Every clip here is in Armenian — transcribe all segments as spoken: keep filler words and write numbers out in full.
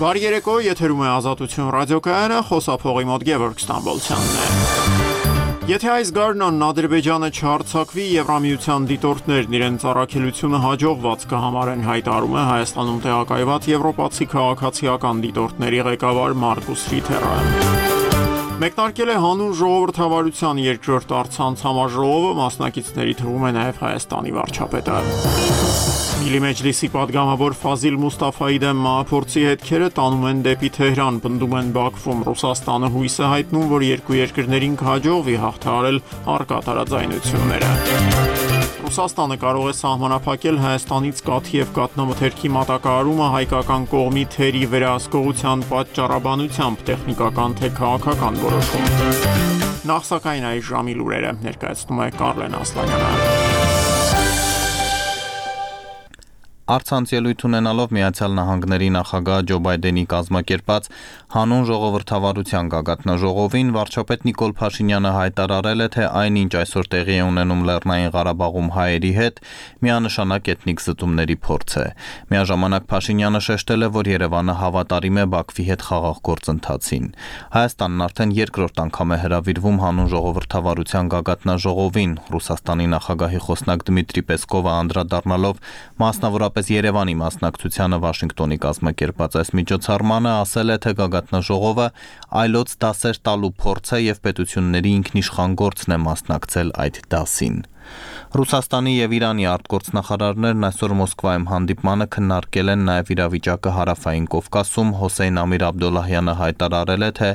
Բարի երեկո, եթերում է Ազատություն ռադիոկայանը, խոսափողի մոտ Գևորգ Ստամբոլցյանն է։ Եթե այս գարնանն Ադրբեջանը չհարձակվի, Եվրամիության դիտորդներն իրենց առաքելությունը հաջողված կհամարեն, հայտարարում է Հայաստանում տեղակայված եվրոպացի քաղաքացիական դիտորդների ղեկավար Մարկուս Ռիթերը։ Մեկնարկել է հանուն ժողովրդավարության երկրորդ առցանց համաժողովը, մասնակիցների թվում է նաև Հայաստանի վարչապետը։ Միլի Մեջլիսի պատգամավոր Ֆազիլ Մուստաֆայի դեմ մահափորձի հետքերը տանում են դեպի Թեհրան, պնդում են Բաքվում։ Ռուսաստանը հույս է հայտնում, որ երկու երկրներին կհաջողվի հաղթահարել առկա տարաձայնությունները։ Ռուսաստանը կարող է սահմանափակել Հայաստանից կաթի և կաթնամթերքի մատակարարումը հայկական կողմի թերի վերահսկողության պատճառաբանությամբ, տեխնիկական թե քաղաքական որոշում։ Նախ սակայն այս ժամի լուրերը ներկայացնում է Կարլեն Ասլանյանը։ Առցանց ելույթ ունենալով Միացյալ Նահանգների նախագահ Ջո Բայդենի կազմակերպած հանուն ժողովրդավարության գագաթնաժողովին վարչապետ Նիկոլ Փաշինյանը հայտարարել է, թե այնինչ այսօր տեղի է ունենում Լեռնային Ղարաբաղում հայերի հետ, միանշանակ էթնիկ զտումների փորձ է։ Միաժամանակ Փաշինյանը շեշտել է, որ Երևանը հավատարիմ է Բաքվի հետ խաղաղ գործընթացին։ Հայաստանն արդեն երկրորդ անգամ է հրավիրվում հանուն ժողովրդավարության գագաթնաժողովին։ Ռուսաստանի նախագահի խոսնակ Դմիտրի Պեսկովը անդրադառնալով մասնավորապես Երևանի մասնակցությանը Վաշինգտոնի կազմակերպած այս միջոցառմանը ասել է, թե գագաթնաժողովը այլոց դասեր տալու փորձ է եւ պետությունների ինքնիշխան գործն է մասնակցել այդ դասին։ Ռուսաստանի եւ Իրանի արտգործնախարարներն այսօր Մոսկվայում հանդիպմանը քննարկել են նաեւ իրավիճակը Հարավային Կովկասում։ Հոսեյն Ամիր Աբդոլլահյանը հայտարարել է, թե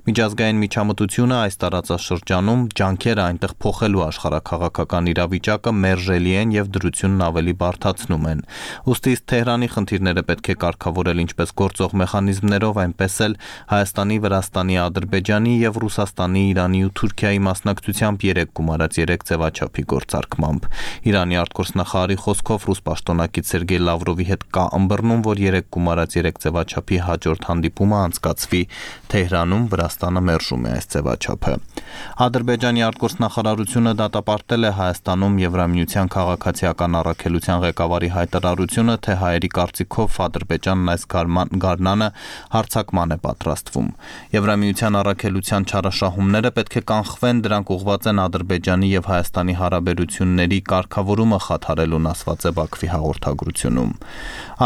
միջազգային միջամտությունը այս տարածաշրջանում ջանքերը այնտեղ փոխելու աշխարհակաղակական իրավիճակը մերժելի են եւ դրությունն ավելի բարդացնում են։ Ուստի Թեհրանի խնդիրները պետք է կարգավորել ինչպես գործող մեխանիզմներով, այնպես էլ Հայաստանի, Վրաստանի, Ադրբեջանի եւ Ռուսաստանի, Իրանի ու Թուրքիայի մասնակցությամբ երեք գումարած երեք ձևաչափի գործարկմամբ։ Իրանի արտգործնախարարի խոսքով ռուս պաշտոնակից Սերգեյ Լավրովի հետ կա ըմբռնում, որ երեք գումարած երեք ձևաչափի հաջորդ հանդիպումը անցկացվի Թեհրանում, Վրաստանը մերժում է այս ձևաչափը։ Ադրբեջանի արտգործնախարարությունը դատապարտել է Հայաստանում Եվրամիության քաղաքացիական առաքելության ղեկավարի հայտարարությունը, թե հայերի կարծիքով Ադրբեջանն այս գարնանը հարձակման է պատրաստվում։ Եվրամիության առաքելության չարաշահումները պետք է կանխվեն, դրանք ուղղված են Ադրբեջանի եւ Հայաստանի հարաբերությունների կարգավորումը խաթարելուն, ասված է Բաքվի հաղորդագրությունում։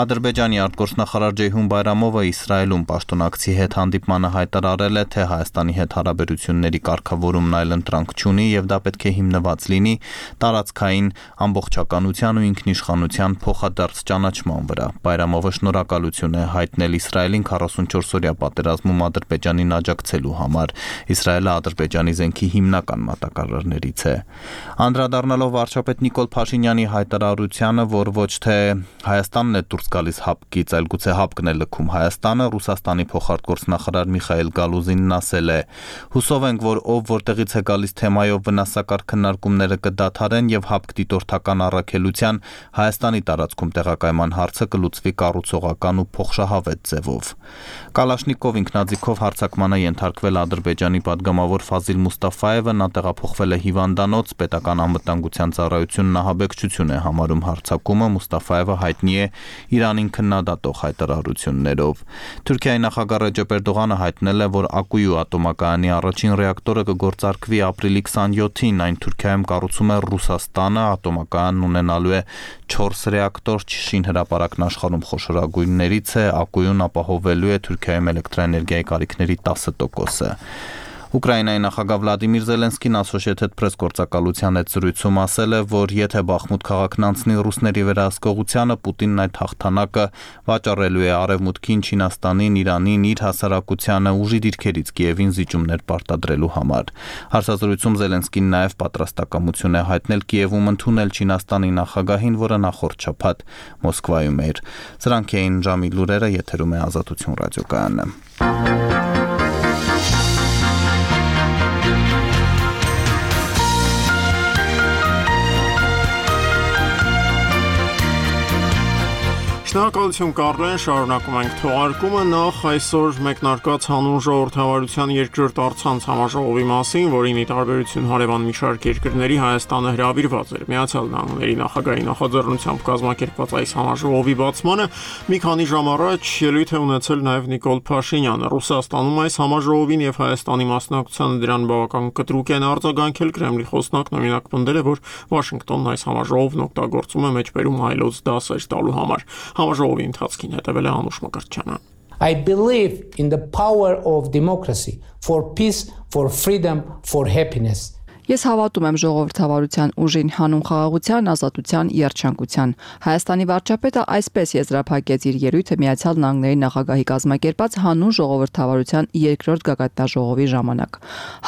Ադրբեջանի արտգործնախարար Ջեյհուն Բայրամովը Իսրայելում պաշտոնակցի հետ հանդիպմանը հայտարարել է, թե Հայաստանի հետ հարաբերությունների կարգավորումն այլընտրանք չունի եւ դա պետք է հիմնված լինի տարածքային ամբողջականության ու ինքնիշխանության փոխադարձ ճանաչման վրա։ Բայրամովը շնորհակալություն է հայտնել Իսրայելին քառասունչորս-օրյա պատերազմում Ադրբեջանին աջակցելու համար։ Իսրայելը Ադրբեջանի զենքի հիմնական մատակարարներից է։ Անդրադառնալով վարչապետ Նիկոլ Փաշինյանի հայտարարությանը, որ ոչ թե Հայաստանն է դուրս գալիս հապկից, այլ գուցե հապկն է լքում Հայաստանը, Ռուսաստանի փոխարտգործնախարար Միխայիլ Գալուզինն ասել է. «Հուսով ենք, որ ով որտեղից է գալիս թեմայով վնասակար քննարկումները կդադարեն եւ հապկ դիտորդական առաքելության Հայաստանի տարածքում տեղակայման հարցը կլուծվի կառուցողական ու փոխշահավետ ձևով»։ Կալաշնիկով ինքնաձիգով հարձակմանը ենթարկվել Ադրբեջանի պատգամավոր Ֆազիլ Մուստաֆայևը, նա տեղափոխվել է հիվանդանոց, պետական անվտանգության ծառայությունն ահաբեկչություն է համարում հարձակումը, Մուստաֆայևը հայտնի է Իրանին քննադատող հայտարարություններով։ Թուրքիայի նախագահ Ռեջեփ Էրդողանը հայտնել է, որ Ակույու ատոմակայանի առաջին ռեակտորը կգործարկվի ապրիլի քսանյոթին, այն Թուրքիայում կառուցում է Ռուսաստանը, ատոմակայանն ունենալու է չորս ռեակտոր, Չիշին հրապարակն աշխարհում խոշորագույններից է, Ակույուն ապահովելու է Թուրքիայում էլեկտրաէներգիայի կարիքների տասը տոկոսը։ Ուկրաինայի նախագահ Վլադիմիր Զելենսկին Associated Press գործակալության հետ զրույցում ասել է, որ եթե Բախմուտ քաղաքն անցնի ռուսների վերահսկողությանը, Պուտինն այդ հաղթանակը վաճառելու է Արևմուտքին, Չինաստանին, Իրանին, իր հասարակությանը ուժի դիրքերից Կիևին զիջումներ պարտադրելու համար։ Հարցազրույցում Զելենսկին նաև պատրաստակամություն է հայտնել Կիևում ընդունել Չինաստանի նախագահին, որը նախորդ շաբաթ Մոսկվայում էր։ Սրանք էին ժամի լուրերը, եթերում է Ազատություն ռադիոկայանը։ Շնորհակալություն Կարլեն, շարունակում ենք թողարկումը նախ այսօր մեկնարկած հանուն ժողովրդավարության երկրորդ առցանց համաժողովի մասին, որին ի տարբերություն հարևան մի շարք երկրների Հայաստանը հրավիրված էր։ Միացյալ Նահանգների նախագահի նախաձեռնությամբ կազմակերպված այս համաժողովի բացմանը մի քանի ժամ առաջ ելույթ է ունեցել նաև Նիկոլ Փաշինյանը։ Ռուսաստանում այս համաժողովին եւ Հայաստանի մասնակցությանը դրան բավական կտրուկ են արձագանքել։ Կրեմլի խոսնակն օրինակ պնդել է, որ Վաշինգտոնն այս համաժողովն օգտագործում է մեջբերում հայլոց դասեր տալու համար։ Համաժողովի ընթացքին հետևել է Անուշ Մկրտչյանը։ I believe in the power of democracy, for peace, for freedom, for happiness. Ես հավատում եմ ժողովրդավարության ուժին, հանուն խաղաղության, ազատության, երջանկության։ Հայաստանի վարչապետը այսպես եզրափակեց իր ելույթը Միացյալ Նահանգների նախագահի կազմակերպած հանուն ժողովրդավարության երկրորդ գագաթնաժողովի ժամանակ։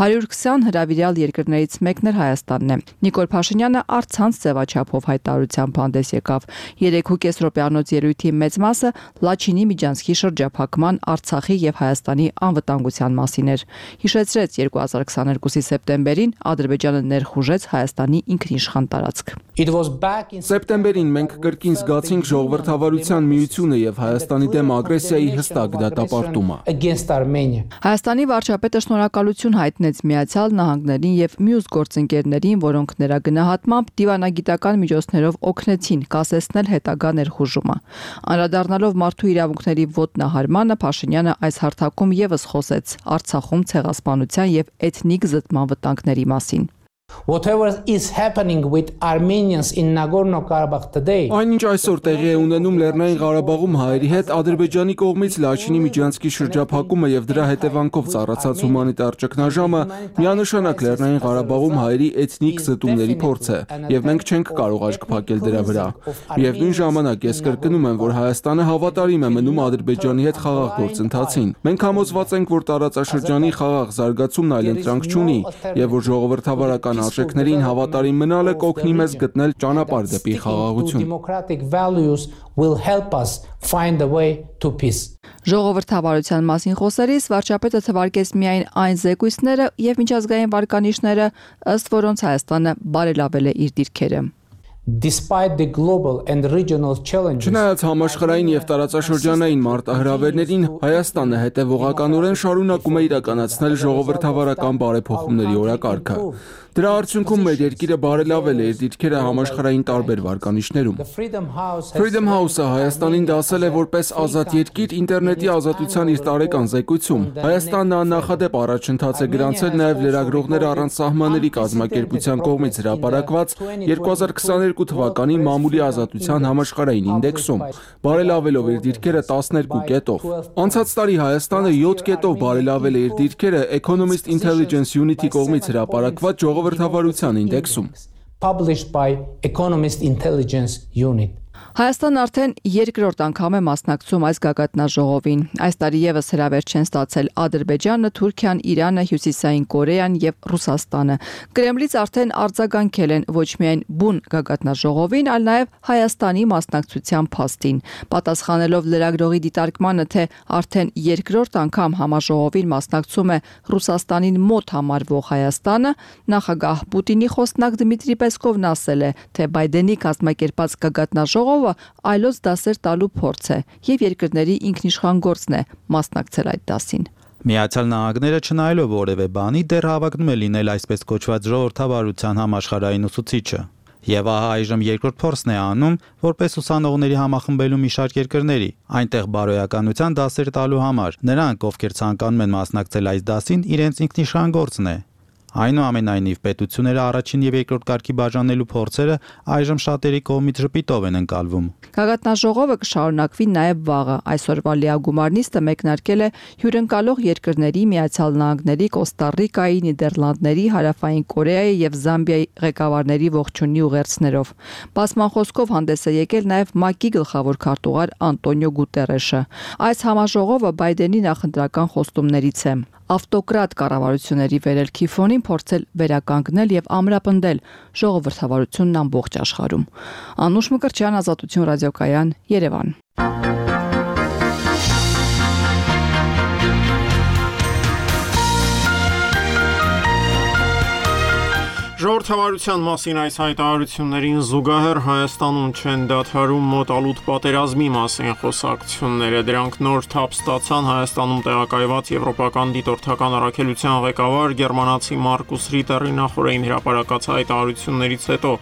հարյուր քսան հրավիրյալ երկրներից մեկն էր Հայաստանն է։ Նիկոլ Փաշինյանը առցանց ձևաչափով հայտարարությամբ հանդես եկավ։ երեք ու կես րոպեանոց ելույթի մեծ մասը Լաչինի միջանցքի շրջափակման, Արցախի եւ Հայաստանի անվտանգության մասին էր։ Հիշեցրեց երկու հազար քսաներկուսի սեպտեմբերին Ադրբեջանը ներխուժեց Հայաստանի ինքնիշխան տարածք։ Սեպտեմբերին մենք կրկին զգացինք ժողովրդավարության միությունը եւ Հայաստանի դեմ ագրեսիայի հստակ դատապարտումը։ Հայաստանի վարչապետը շնորհակալություն հայտնեց Միացյալ Նահանգներին եւ մյուս գործընկերներին, որոնք նրա գնահատմամբ դիվանագիտական միջոցներով օգնեցին կասեցնել հետագա ներխուժումը։ Անդրադառնալով մարդու իրավունքների ոտնահարմանը, Փաշինյանը այս հարթակում եւս խոսեց Արցախում ցեղասպանության եւ էթնիկ զտման վտանգների մասին։ Whatever is happening with Armenians in Nagorno-Karabakh today. Այնինչ այսօր տեղի է ունենում Լեռնային Ղարաբաղում հայերի հետ Ադրբեջանի կողմից Լաչինի միջանցքի շրջափակումը եւ դրա հետևանքով ծառացած հումանիտար ճգնաժամը միանշանակ Լեռնային Ղարաբաղում հայերի էթնիկ զտումների փորձ է եւ մենք չենք կարող աչք փակել դրա վրա։ Միևնույն ժամանակ ես կրկնում եմ, որ Հայաստանը հավատարիմ է մնում Ադրբեջանի հետ խաղաղ գործընթացին։ Մենք համոզված ենք, որ տարածաշրջանի խաղաղ զարգացումն այլընտրանք չունի եւ որ ժողովրդավարական արժեքներին հավատարիմ մնալը կօգնի մեզ գտնել ճանապարհ դեպի խաղաղություն։ Ժողովրդավարության մասին խոսելիս վարչապետը թվարկեց միայն այն զեկույցները եւ միջազգային վարկանիշները, ըստ որոնց Հայաստանը բարելավել է իր դիրքերը։ Despite the global and regional challenges, Չնայած համաշխարհային եւ տարածաշրջանային մարտահրավերներին, Հայաստանը հետեւողականորեն շարունակում է իրականացնել ժողովրդավարական բարեփոխումների օրակարգը։ Դրա արդյունքում մեր երկիրը բարելավել է իր դիրքերը համաշխարհային տարբեր վարկանիշներում։ Freedom House-ը Հայաստանին դասել է որպես ազատ երկիր ինտերնետի ազատության իր տարեկան զեկույցում։ Հայաստանն աննախադեպ առաջընթաց է գրանցել նաեւ լրագրողներ առանց սահմանների կազմակերպության կողմից հրապարակված երկու հազար քսաներկու թվականի մամուլի ազատության համաշխարհային ինդեքսում, բարելավելով իր դիրքերը տասներկու կետով։ Անցած տարի Հայաստանը յոթ կետով բարելավել է իր դիրքերը Economist Intelligence Unit-ի կողմից հրապարակված ժողովրդավարության ինդեքսում։ Published by Economist Intelligence Unit. Հայաստանն արդեն երկրորդ անգամ է մասնակցում այս գագաթնաժողովին։ Այս տարի եւս հրավեր չեն ստացել Ադրբեջանը, Թուրքիան, Իրանը, Հյուսիսային Կորեան եւ Ռուսաստանը։ Կրեմլից արդեն արձագանքել են ոչ միայն բուն գագաթնաժողովին, այլ նաեւ Հայաստանի մասնակցության փաստին։ Պատասխանելով լրագրողի դիտարկմանը, թե արդեն երկրորդ անգամ համաժողովին մասնակցում է Ռուսաստանին մոտ համարվող Հայաստանը, նախագահ Պուտինի խոսնակ Դմիտրի Պեսկովն ասել է, թե Բայդենի կազմակերպած գագաթնաժողովը այլոց դասեր տալու փորձ է եւ երկրների ինքնիշխան գործն է մասնակցել այդ դասին։ Միացյալ Նահանգները չնայելով որևէ բանի դեռ հավակնում է լինել այսպես կոչված ժողովրդավարության համաշխարհային ուսուցիչը։ Եվ ահա այժմ երկրորդ փորձն է անում, որպես ուսանողների համախմբելու մի շարք երկրների, այնտեղ բարոյականության դասեր տալու համար։ Նրանք, ովքեր ցանկանում են մասնակցել այս դասին, իրենց ինքնիշխան գործն է։ Այնուամենայնիվ պետությունները առաջին եւ երկրորդ կարգի բաժանելու փորձերը այժմ շատերի կողմից ժպիտով են ընկալվում։ Գագաթնաժողովը կշարունակվի նաեւ վաղը։ Այսօրվա լիագումար նիստը մեկնարկել է հյուրընկալող երկրների Միացյալ Նահանգների, Կոստա Ռիկայի, Նիդերլանդների, Հարավային Կորեայի եւ Զամբիայի ղեկավարների ողջունի ուղերձներով։ Բացման խոսքով հանդես է եկել նաեւ ՄԱԿ-ի գլխավոր քարտուղար Անտոնիո Գուտերեշը։ Այս համաժողովը Բայդենի նախընտրական խոստումներից է։ Ավտոկրատ կառավարությունների վերելքի ֆոնին փորձել վերականգնել եւ ամրապնդել ժողովրդավարությունն ամբողջ աշխարհում։ Անուշ Մկրտչյան, Ազատություն ռադիոկայան, Երևան։ Ժողովրդավարության Ժողովրդավարության մասին այս հայտարարություններին զուգահեռ Հայաստանում չեն դադարում մոտալուտ պատերազմի մասին խոսակցությունները։ Դրանք նոր թափ ստացան Հայաստանում տեղակայված եվրոպական դիտորդական առաքելության ղեկավար գերմանացի Մարկուս Ռիտերի նախորդին հրապարակած հայտարարություններից հետո,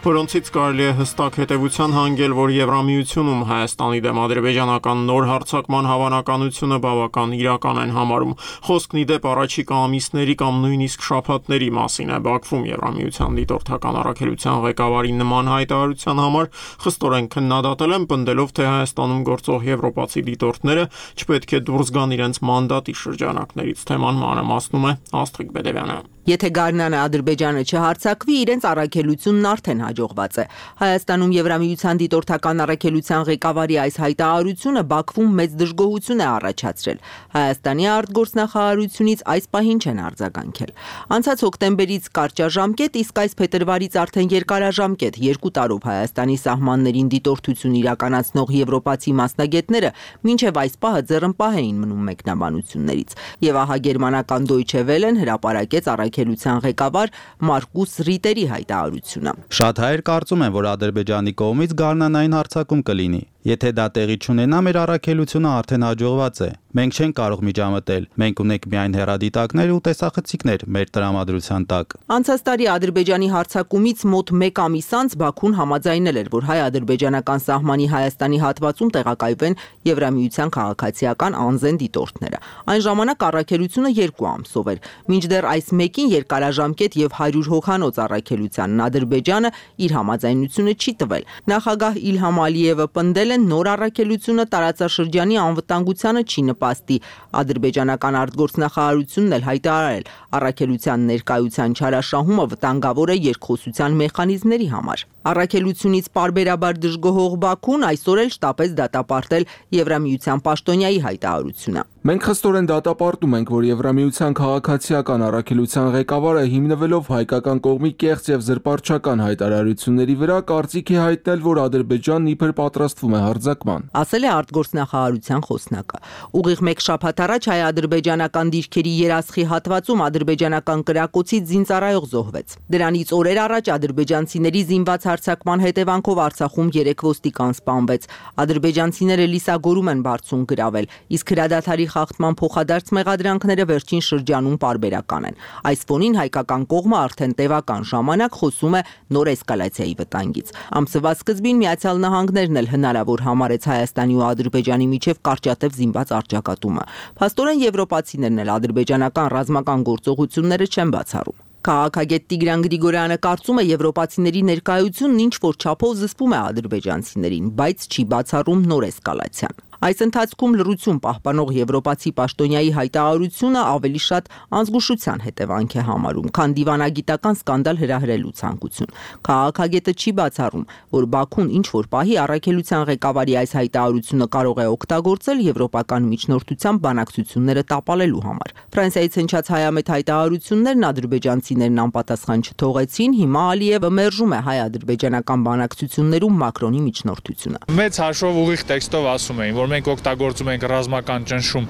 որոնցից կարելի է հստակ հետևության հանգել, որ Եվրամիությունում Հայաստանի դեմ ադրբեջանական նոր հարձակման հավանականությունը բավական իրական են համարում։ Խոսքն ի դեպ առաջիկա ամիսների կամ նույնիսկ շաբաթների մասին է։ Բաքվում Եվրամիության դիտորդական առաքելության ղեկավարի նման հայտարարության համար խստորեն քննադատել են, պնդելով, թե Հայաստանում գործող եվրոպացի դիտորդները չպետք է դուրս գան իրենց մանդատի շրջանակներից։ Թեման մանրամասնում է Աստղիկ Բեդևյանը։ Եթե Գառնանը Ադրբեջանը չհարձակվի, իրենց առաքելությունն արդեն հաջողված է։ Հայաստանում Եվրամիության դիտորդական առաքելության ղեկավարի այս հայտարարությունը Բաքվում մեծ դժգոհություն է առաջացրել։ Հայաստանի արտգործնախարարությունից այս պահին չեն արձագանքել։ Անցած հոկտեմբերից կարճաժամկետ, իսկ այս փետրվարից արդեն երկարաժամկետ երկու տարով Հայաստանի սահմաններին դիտորդություն իրականացնող եվրոպացի մասնագետները մինչև այս պահը ձեռնպահ էին մնում մեկնաբանություններից։ Եվ ահա գերմանական Deutsche Welle-ն հրապարակեց առաքելության ղեկավար Մարկուս Ռիտերի հայտարարությունը։ Շատ հայեր կարծում են, որ Ադրբեջանի կողմից գարնանային հարձակում կլինի։ Եթե դա տեղի չունենա, մեր առաքելությունը արդեն հաջողված է։ Մենք չենք կարող միջամտել։ Մենք ունենք միայն հեռադիտակներ ու տեսախցիկներ մեր տրամադրության տակ։ Անցած տարի Ադրբեջանի հարձակումից մոտ մեկ ամիս անց Բաքուն համաձայնել էր, որ հայ-ադրբեջանական սահմանի Հայաստանի հատվածում տեղակայվեն Եվրամիության քաղաքացիական անզեն դիտորդները։ Այն ժամանակ առաքելությունը երկու ամսով էր։ Մինչդեռ այս մեկին երկարաժամկետ եւ հարյուր հոգանոց առաքելությանն Ադրբեջանը իր համաձայնությունը չի տվել։ Նախագահ Իլհամ Ալիևը պնդել է նոր առաքելությունը տարածաշրջանի անվտանգությանը չի նպաստի։ Ադրբեջանական արտգործնախարարությունն էլ հայտարարել, առաքելության ներկայության չարաշահումը վտանգավոր է երկխոսության մեխանիզմների համար։ Առաքելությունից պարբերաբար դժգոհող Բաքուն այսօր էլ շտապեց դատապարտել Եվրամիության պաշտոնյայի հայտարարությունը։ Մենք խստորեն դատապարտում ենք, որ Եվրամիության քաղաքացիական առաքելության ղեկավարը հիմնվելով հայկական կողմի կեղծ եւ զրպարտչական հայտարարությունների վրա կարծիք է հայտնել, որ Ադրբեջանն իբր պատրաստվում է հարձակման, ասել է արտգործնախարարության խոսնակը։ Ուղիղ մեկ շաբաթ առաջ հայ-ադրբեջանական դիրքերի երասխի հատվածում ադրբեջանական կրակոցից զինծառայող զոհվեց։ Դրանից օրեր առաջ ադրբեջանցիների զինված հարձակման հետևանքով Արցախում երեք ոստիկան սպանվեց։ Ադրբեջանցիները լիսագորում են բարձուն գրավել, իսկ հրադադարի խախտման փոխադարձ մեղադրանքները վերջին շրջանում պարբերական են։ Այս ֆոնին հայկական կողմը արդեն տևական ժամանակ խոսում է նոր էսկալացիայի վտանգից։ Ամսվա սկզբին Միացյալ Նահանգներն էլ հնարավոր համարեց Հայաստանի ու Ադրբեջանի միջև կարճատև զինված առճակատումը։ Փաստորեն եվրոպացիներն էլ ադրբեջանական ռազմական գործողությունները չեն բացառում։ Քաղաքագետ Տիգրան Գրիգորյանը կարծում է, եվրոպացիների ներկայությունն ինչ որ չափով զսպում է ադրբեջանցիներին, բայց չի բացառում նոր էսկալացիան։ Այս ընթացքում լռություն պահպանող եվրոպացի պաշտոնյայի հայտարարությունը ավելի շատ անզգուշության հետևանք է համարում, քան դիվանագիտական սկանդալ հրահրելու ցանկություն։ Քաղաքագետը չի բացառում, որ Բաքուն ինչ որ պահի առաքելության ղեկավարի այս հայտարարությունը կարող է օգտագործել եվրոպական միջնորդության բանակցությունները տապալելու համար։ Ֆրանսիայից հնչած հայամետ հայտարարություններն ադրբեջանցիներն անպատասխան չթողեցին, հիմա Ալիևը մերժում է հայ-ադրբեջանական բանակցություններում Մակրոնի միջնորդությունը։ Մեծ հաշվով ուղիղ տեքստով ասում էին, որ մենք օգտագործում ենք ռազմական ճնշում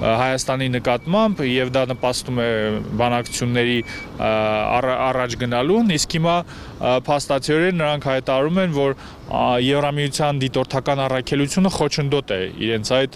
Հայաստանի նկատմամբ եւ դա նպաստում է բանակցությունների առաջ գնալուն, իսկ հիմա փաստացիորեն նրանք հայտարարում են, որ Եվրամիության դիտորդական առաքելությունը խոչընդոտ է իրենց այդ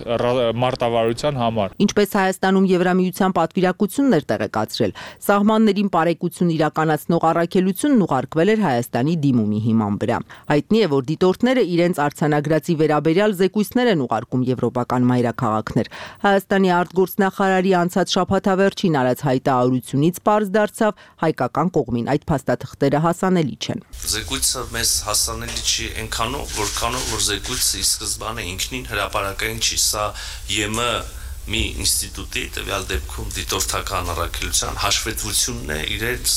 մարտավարության համար։ Ինչպես Հայաստանում Եվրամիության պատվիրակությունն էր տեղեկացրել, սահմաններին բարեկեցություն իրականացնող առաքելությունն ուղարկվել էր Հայաստանի դիմումի հիման վրա։ Հայտնի է, որ դիտորդները իրենց արձանագրածի վերաբերյալ զեկույցներ են ուղարկում եվրոպական մայրաքաղաքներ։ Հայաստանի արտգործնախարարի անցած շաբաթավերջին արած հայտարարությունից պարզ դարձավ հայկական կողմին այդ փաստաթղթերը հասանելի չեն։ Զեկույցը մեզ հասանելի չի այնքանով, որքանով որ զեկույցը ի սկզբանե ինքնին հրապարակային չի, սա ԵՄ մի ինստիտուտի, տվյալ դեպքում դիտորդական առաքելության հաշվետվությունն է իրենց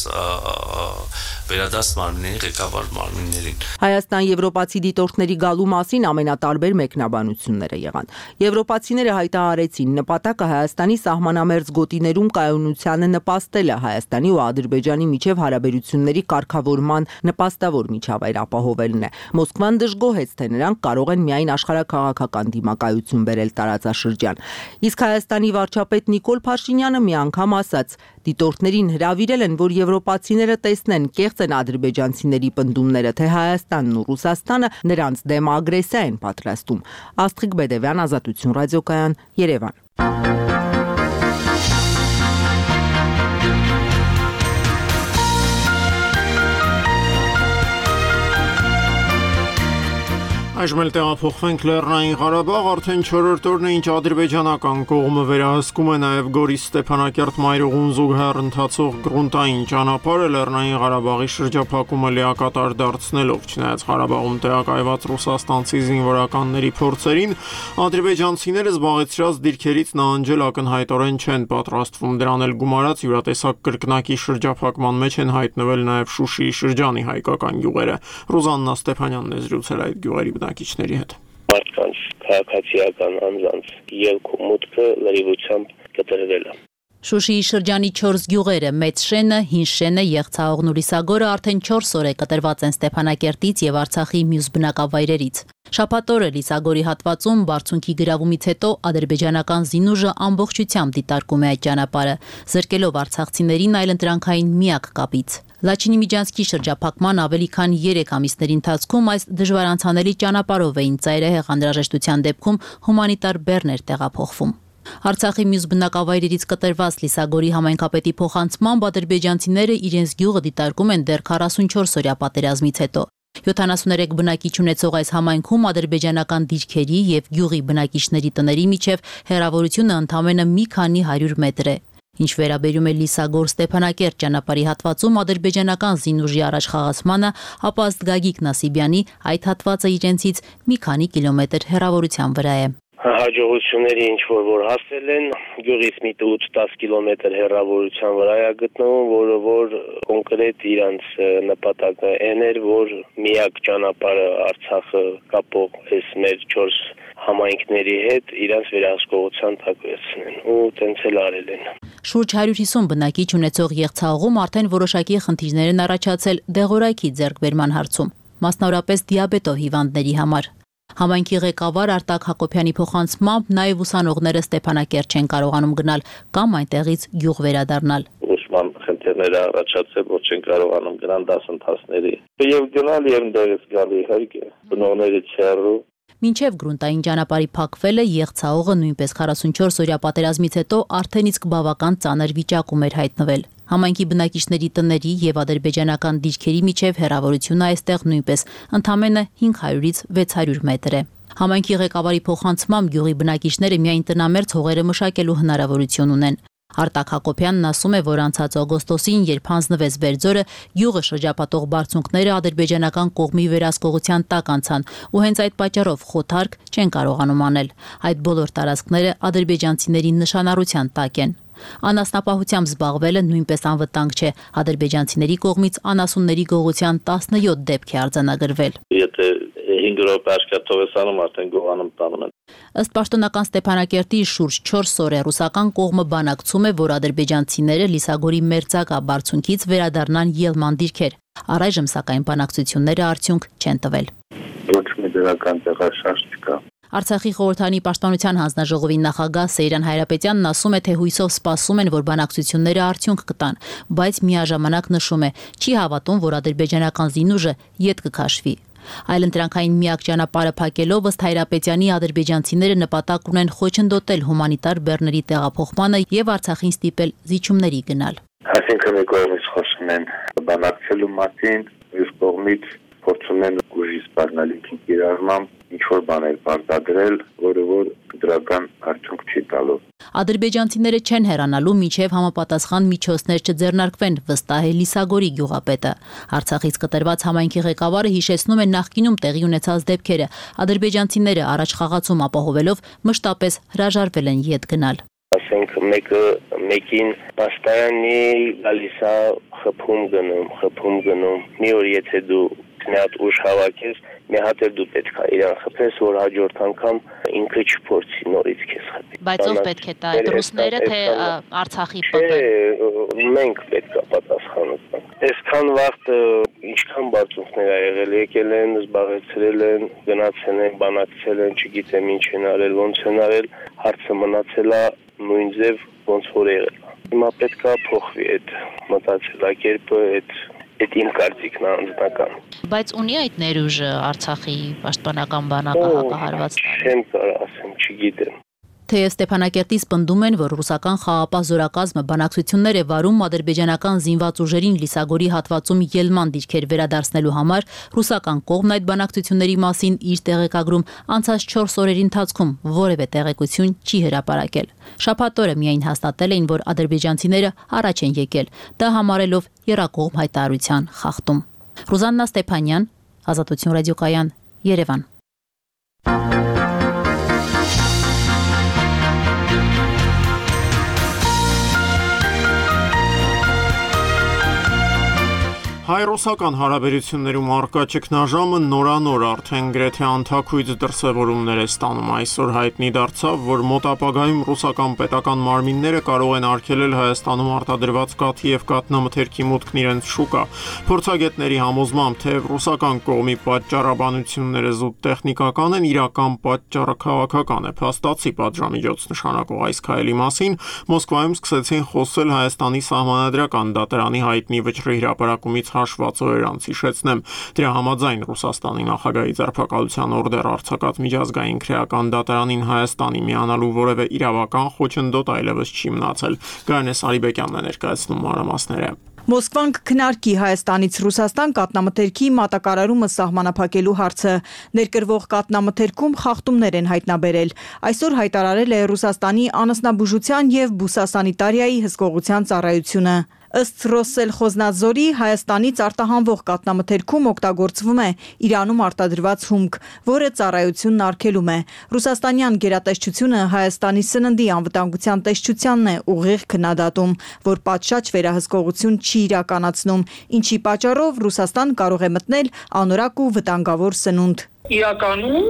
վերադաս մարմինների ղեկավար մարմիններին։ Հայաստան եվրոպացի դիտորդների գալու մասին ամենատարբեր մեկնաբանությունները եղան։ Եվրոպացիները հայտարարեցին, նպատակը Հայաստանի սահմանամերձ գոտիներում կայունությանը նպաստելը, Հայաստանի ու Ադրբեջանի միջև հարաբերությունների կարգավորման նպաստավոր միջավայր ապահովելն է։ Մոսկվան դժգոհեց, թե նրանք կարող են միայն աշխարհաքաղաքական դիմակայություն բերել տարածաշրջան։ Իսկ Իսկ Հայաստանի վարչապետ Նիկոլ Փաշինյանը մի անգամ ասաց. դիտորդներին հրավիրել են, որ եվրոպացիները տեսնեն կեղծ են ադրբեջանցիների պնդումները, թե Հայաստանն ու Ռուսաստանը նրանց դեմ ագրեսիա են պատրաստում։ Աստղիկ Բեդևյան, Ազատություն ռադիոկայան, Երևան։ Այժմ էլ տեղափոխվենք Լեռնային Ղարաբաղ, արդեն չորրորդ օրն է, ինչ ադրբեջանական կողմը վերահսկում է նաև Գորիս Ստեփանակերտ-Մայրուղուն զուգահեռ ընթացող գրունտային ճանապարհը Լեռնային Ղարաբաղի շրջափակումը լիակատար դարձնելով, չնայած Ղարաբաղում տեղակայված ռուսաստանցի զինվորականների փորձերին, ադրբեջանցիները զբաղեցրած դիրքերից նահանջել ակնհայտորեն չեն պատրաստվում, դրան էլ գումարած յուրատեսակ կրկնակի շրջափակման մեջ են հայտնվել նաև Շուշիի շրջանի հայկական գյուղերը։ Ռուզաննա Ստեփանյանն է զրուցել այդ գյուղերի բնակիչների հետ։ Մարդկանց քաղաքացիական անձանց ելք ու մուտքը լրիվությամբ կտրվել է։ Շուշիի շրջանի չորս գյուղերը՝ Մեծ Շենը, Հին Շենը, Եղցահողն ու Լիսագորը արդեն չորս օր է կտրված են Ստեփանակերտից եւ Արցախի մյուս բնակավայրերից։ Շաբաթ օրը Լիսագորի հատվածում բարձունքի գրավումից հետո ադրբեջանական զինուժը ամբողջությամբ դիտարկում է այդ ճանապարհը, զրկելով արցախցիներին այլընտրանքային միակ կապից։ Լաչինի Միջանցքի շրջափակման ավելի քան երեք ամիսների ընթացքում այս դժվարանցանելի ճանապարհով էին ծայրահեղ անհրաժեշտության դեպքում հումանիտար բեռներ տեղափոխվում։ Արցախի մյուս բնակավայրերից կտրված Լիսագորի համայնքապետի փոխանցմամբ ադրբեջանցիները իրենց գյուղը դիտարկում են դեռ քառասունչորս օրյա պատերազմից հետո։ յոթանասուներեք բնակիչ ունեցող այս համայնքում ադրբեջանական դիրքերի եւ գյուղի բնակիչների տների միջև հեռավորությունը ընդամենը մի քանի հարյուր մետր է։ Ինչ վերաբերում է Լիսագոր-Ստեփանակերտ ճանապարհի հատվածում ադրբեջանական զինուժի առաջխաղացմանը, ապա ըստ Գագիկ Նասիբյանի այդ հատվածը իրենցից մի քանի կիլոմետր հեռավորության վրա է։ Հաջողությունների ինչ որ որ հասել են գյուղից մի ութ-դես կիլոմետր հեռավորության վրա է գտնվում, որը որ կոնկրետ իրանց նպատակը այն էր, որ միակ ճանապարհը Արցախը կապող այս մեր չորս համայնքների հետ իրանց վերահսկողության տակ վերցնեն ու տենց էլ արել են։ Շուրջ հարյուր հիսուն բնակիչ ունեցող Եղցահողում արդեն որոշակի խնդիրներ են առաջացել դեղորայքի ձեռքբերման հարցում, մասնավորապես դիաբետով հիվանդների համար։ Համայնքի ղեկավար Արտակ Հակոբյանի փոխանցմամբ նաև ուսանողները Ստեփանակերտ չեն կարողանում գնալ կամ այնտեղից գյուղ վերադառնալ։ Ուսման խնդիրները առաջացել, որ չեն կարողանում գնալ դասընթացների։ Եվ գնալ եւ դերս գալ իհարկե, բնողներից հեռու։ Մինչև գրունտային ճանապարհի փակվելը Եղցահողը նույնպես քառասունչորս օրյա պատերազմից հետո արդեն իսկ բավական ծանր վիճակում էր հայտնվել։ Համայնքի բնակիչների տների եւ ադրբեջանական դիրքերի միջև հեռավորությունը այստեղ նույնպես ընդամենը հինգ հարյուրից վեց հարյուր մետր է։ Համայնքի ղեկավարի փոխանցմամբ գյուղի բնակիչները միայն տնամերձ հողերը մշակելու հնարավորություն ունեն։ Արտակ Հակոբյանն ասում է, որ անցած օգոստոսին, երբ հանձնվեց Բերձորը, գյուղը շրջապատող բարձունքները ադրբեջանական կողմի վերահսկողության տակ անցան ու հենց այդ պատճառով խոթարկ չեն կարողանում անել։ Այդ բոլոր տարածքները ադրբեջանցիների նշանառության տակ են։ Անասնապահությամբ զբաղվելը նույնպես անվտանգ չէ։ Ադրբեջանցիների կողմից անասունների գողության տասնյոթ դեպք է արձանագրվել։ Եթե հինգ րոպե աշխատողեսանում արդեն գողանում տանում են։ Ըստ պաշտոնական Ստեփանակերտի շուրջ չորս օր է ռուսական կողմը բանակցում է, որ ադրբեջանցիները Լիսագորի մերձակա բարձունքից վերադառնան ելման դիրքեր։ Առայժմ սակայն բանակցությունները արդյունք չեն տվել։ Ոչ մի դրական տեղաշարժ չկա։ Արցախի խորհրդանի պաշտպանության հանձնաժողովի նախագահ Սեյրան Հայրապետյանն ասում է, թե հույսով սպասում են, որ բանակցությունները արդյունք կտան, բայց միաժամանակ նշում է, չի հավատում, որ ադրբեջանական զինուժը ետ կքաշվի։ Այլընտրանքային միակ ճանապարհը փակելով ըստ Հայրապետյանի ադրբեջանցիները նպատակ ունեն խոչընդոտել հումանիտար բեռների տեղափոխմանը եւ Արցախին ստիպել զիջումների գնալ։ Այսինքն մի կողմից խոսում են բանակցելու մասին, մյուս կողմից փորձում են ուժի սպառնալիքի կիրառմամբ ինչ որ բաներ պարտադրել, որը որ դրական արդյունք չի տալու։ Ադրբեջանցիները չեն հեռանալու մինչև համապատասխան միջոցներ չձեռնարկվեն, վստահ է Լիսագորի գյուղապետը։ Արցախից կտրված համայնքի ղեկավարը հիշեցնում է նախկինում տեղի ունեցած դեպքերը։ Ադրբեջանցիները առաջ խաղացում ապահովելով մշտապես հրաժարվել են ետ գնալ։ Ասենք մեկը մեկին պաստայանի գալիս է խփում գնում, խփում գնում։ Մի օր եթե դու մի հատ ուժ հավաքես, մի հատ էլ դու պետք է իրան խփես, որ հաջորդ անգամ ինքը չփորձի նորից քեզ խփի։ Բայց ով պետք է տա, այդ ռուսները թե Արցախի ՊՊ։ Չէ, մենք պետք է պատասխանենք։ Այսքան վաղ ինչքան բարձունքներ ա եղել, եկել են, զբաղեցրել են, գնացել են, բանակցել են, չգիտեմ ինչ են արել, ոնց են արել, հարցը մնացել է նույն ձև ոնց որ եղել է։ Հիմա պետք է փոխվի այդ մտածելակերպը, այդ այդ իմ կարծիքն է անձնական։ Բայց ունի այդ ներուժը Արցախի պաշտպանական բանակը հակահարված տալու։ Չեմ կարող ասեմ, չգիտեմ։ Թեև Ստեփանակերտից պնդում են, որ ռուսական խաղապահ զորակազմը բանակցություններ է վարում ադրբեջանական զինված ուժերին Լիսագորի հատվածում ելման դիրքեր վերադարձնելու համար, ռուսական կողմն այդ բանակցությունների մասին իր տեղեկագրում անցած չորս օրերի ընթացքում որևէ տեղեկություն չի հրապարակել։ Շաբաթ օրը միայն հաստատել էին, որ ադրբեջանցիները առաջ են եկել, դա համարելով եռակողմ հայտարարության խախտում։ Ռուզաննա Ստեփանյան, Ազատություն ռադիոկայան, Երևան։ Հայ-ռուսական հարաբերություններում առկա ճգնաժամը նորանոր արդեն գրեթե անթաքույց դրսևորումներ է ստանում։ Այսօր հայտնի դարձավ, որ մոտ ապագայում ռուսական պետական մարմինները կարող են արգելել Հայաստանում արտադրված կաթի և կաթնամթերքի մուտքն իրենց շուկա։ Փորձագետների համոզմամբ, թեև ռուսական կողմի պատճառաբանությունները զուտ տեխնիկական են, իրական պատճառը քաղաքական է։ Փաստացի պատժամիջոց նշանակող այս քայլի մասին Մոսկվայում սկսեցին խոսել Հայաստանի սահմանադրական դատարանի հայտնի վճռի հրապարակումից հաշված օրեր անց հիշեցնեմ։ Դրա համաձայն Ռուսաստանի նախագահի ձերբակալության օրդեր արձակած միջազգային քրեական դատարանին Հայաստանի միանալու որևէ իրավական խոչընդոտ այլևս չի մնացել։ Գարնե Սարիբեկյանն է ներկայացնում մանրամասները։ Մոսկվան կքննարկի Հայաստանից Ռուսաստան կաթնամթերքի մատակարարումը սահմանափակելու հարցը։ Ներկրվող կաթնամթերքում խախտումներ են հայտնաբերել։ Այսօր հայտարարել է Ռուսաստանի անասնաբուժության և բուսասանիտարիայի հսկողության ծառայությունը։ Ըստ Ռոսսելխոզնադզորի, Հայաստանից արտահանվող կաթնամթերքում օգտագործվում է Իրանում արտադրված հումք, որը ծառայությունն արգելում է։ Ռուսաստանյան գերատեսչությունը Հայաստանի սննդի անվտանգության տեսչությանն է ուղիղ քննադատում, որ պատշաճ վերահսկողություն չի իրականացնում, ինչի պատճառով Ռուսաստան կարող է մտնել անորակ ու վտանգավոր սնունդ։ Իրականում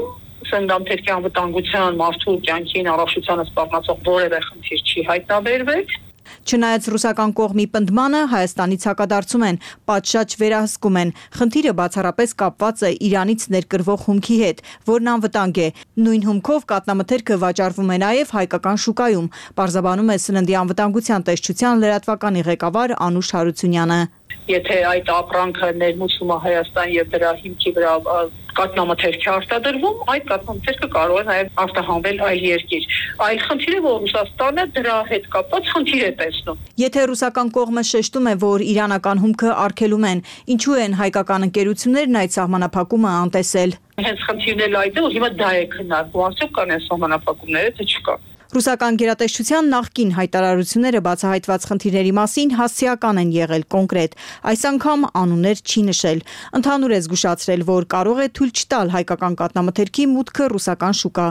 սննդամթերքի անվտանգության մարդու կյանքին առողջությանը սպառնացող որևէ խնդիր չի հայտնաբերվել։ Չնայած ռուսական կողմի պնդմանը, Հայաստանից հակադարձում են, պատշաճ վերահսկում են։ Խնդիրը բացառապես կապված է Իրանից ներկրվող հումքի հետ, որն անվտանգ է։ Նույն հումքով կաթնամթերքը վաճառվում է նաև հայկական շուկայում, պարզաբանում է սննդի անվտանգության տեսչության լրատվականի ղեկավար Անուշ Հարությունյանը։ Եթե այդ ապրանքը ներմուծվում է Հայաստան եւ դրա հիմքի վրա կաթնամթերք է արտադրվում, այդ կաթնամթերքը կարող է նաև արտահանվել այլ երկիր։ Այլ խնդիրը, որ Ռուսաստանը դրա հետ կապված խնդիր է տեսնում։ Եթե ռուսական կողմը շեշտում է, որ իրանական հումքը արգելում են, ինչու են հայկական ընկերություններն այդ սահմանափակումը անտեսել։ Հենց խնդիրն էլ այդ է, որ հիմա դա է քննարկվում, արդյոք կան այս սահմանափակումները, թե չկա։ Ռուսական գերատեսչության նախկին հայտարարությունները բացահայտված խնդիրների մասին հասցեական են եղել կոնկրետ, այս անգամ անուններ չի նշել։ Ընդհանուր է զգուշացրել, որ կարող է թույլ չտալ հայկական կաթնամթերքի մուտքը ռուսական շուկա։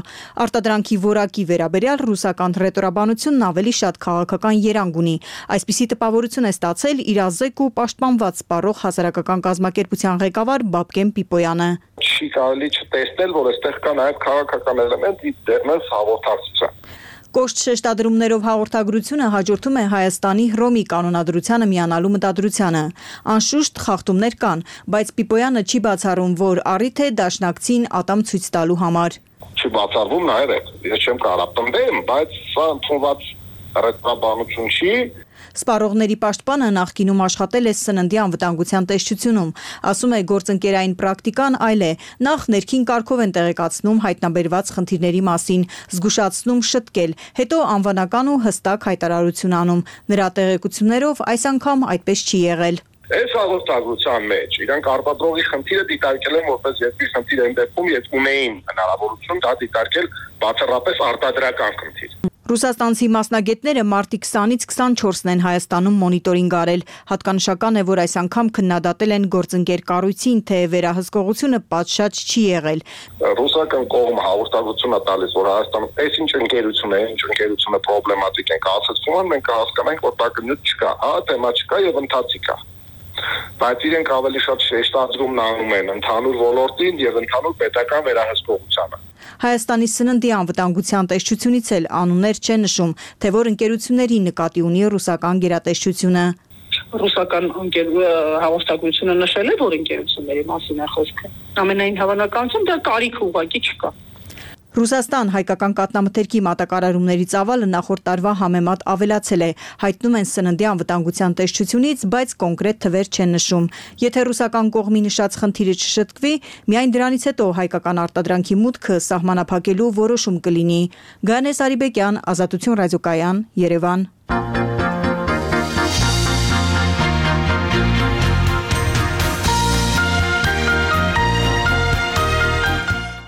Արտադրանքի որակի վերաբերյալ ռուսական ռետորաբանությունն ավելի շատ քաղաքական երանգ ունի։ Այսպիսի տպավորություն է ստացել իրազեկ ու պաշտպանված սպառող հասարակական կազմակերպության ղեկավար Բաբկեն Պիպոյանը։ Չի կարելի չտեսնել, որ այստեղ կա նաև քաղաքական էլեմենտ դեռնս հաղորդակցության։ Կոշտ շեշտադրումներով հաղորդագրությունը հաջորդում է Հայաստանի Հռոմի կանոնադրությանը միանալու մտադրությանը։ Անշուշտ խախտումներ կան, բայց Պիպոյանը չի բացառում, որ առիթ է դաշնակցին ատամ ցույց տալու համար։ Չի բացառվում նաև, ես չեմ կարող պնդեմ, բայց սա ընդունված ռետորաբանություն չի։ Սպառողների պաշտպանը նախկինում աշխատել է սննդի անվտանգության տեսչությունում։ Ասում է, գործընկերային պրակտիկան այլ է։ Նախ ներքին կարգով են տեղեկացնում հայտնաբերված խնդիրների մասին, զգուշացնում շտկել, հետո անվանական ու հստակ հայտարարություն անում։ Նրա տեղեկություններով այս անգամ այդպես չի եղել։ Այս հաղորդագրության մեջ իրանք արտադրողի խնդիրը դիտարկել են որպես երկրի խնդիր են դեպքում, եթե ունեին հնարավորություն դա դիտարկել բացառապես արտադրական խնդիր։ Ռուսաստանցի մասնագետները մարտի քսանից քսանչորսն են Հայաստանում մոնիտորինգ արել։ Հատկանշական է, որ այս անգամ քննադատել են գործընկեր կառույցին, թե վերահսկողությունը պատշաճ չի եղել։ Ռուսական կողմը հաղորդագրություն է տալիս, որ Հայաստանում այս ինչ ընկերություն է, ինչ ընկերությունը պրոբլեմատիկ են կասեցվում, մենք կհասկանանք, որ տակնյութ չկա, հա, թեմա չկա եւ ընթացիկ է։ Բայց իրենք ավելի շատ շեշտադրումն անում են ընդհանուր ոլորտին եւ ընդհանուր պետական վերահսկողությանը։ Հայաստանի սննդի անվտանգության տեսչությունից էլ անուններ չեն նշում, թե որ ընկերությունների նկատի ունի ռուսական գերատեսչությունը։ Ռուսական հաղորդագրությունը նշել է, որ ընկերությունների մասին է խոսքը։ Ամենայն հավանականությամբ դա կարիք ուղղակի չկա։ Ռուսաստան հայկական կաթնամթերքի մատակարարումների ծավալը նախորդ տարվա համեմատ ավելացել է, հայտնում են սննդի անվտանգության տեսչությունից, բայց կոնկրետ թվեր չեն նշում։ Եթե ռուսական կողմի նշած խնդիրը չշտկվի, միայն դրանից հետո հայկական արտադրանքի մուտքը սահմանափակելու որոշում կլինի։ Գայանե Սարիբեկյան, Ազատություն ռադիոկայան, Երևան։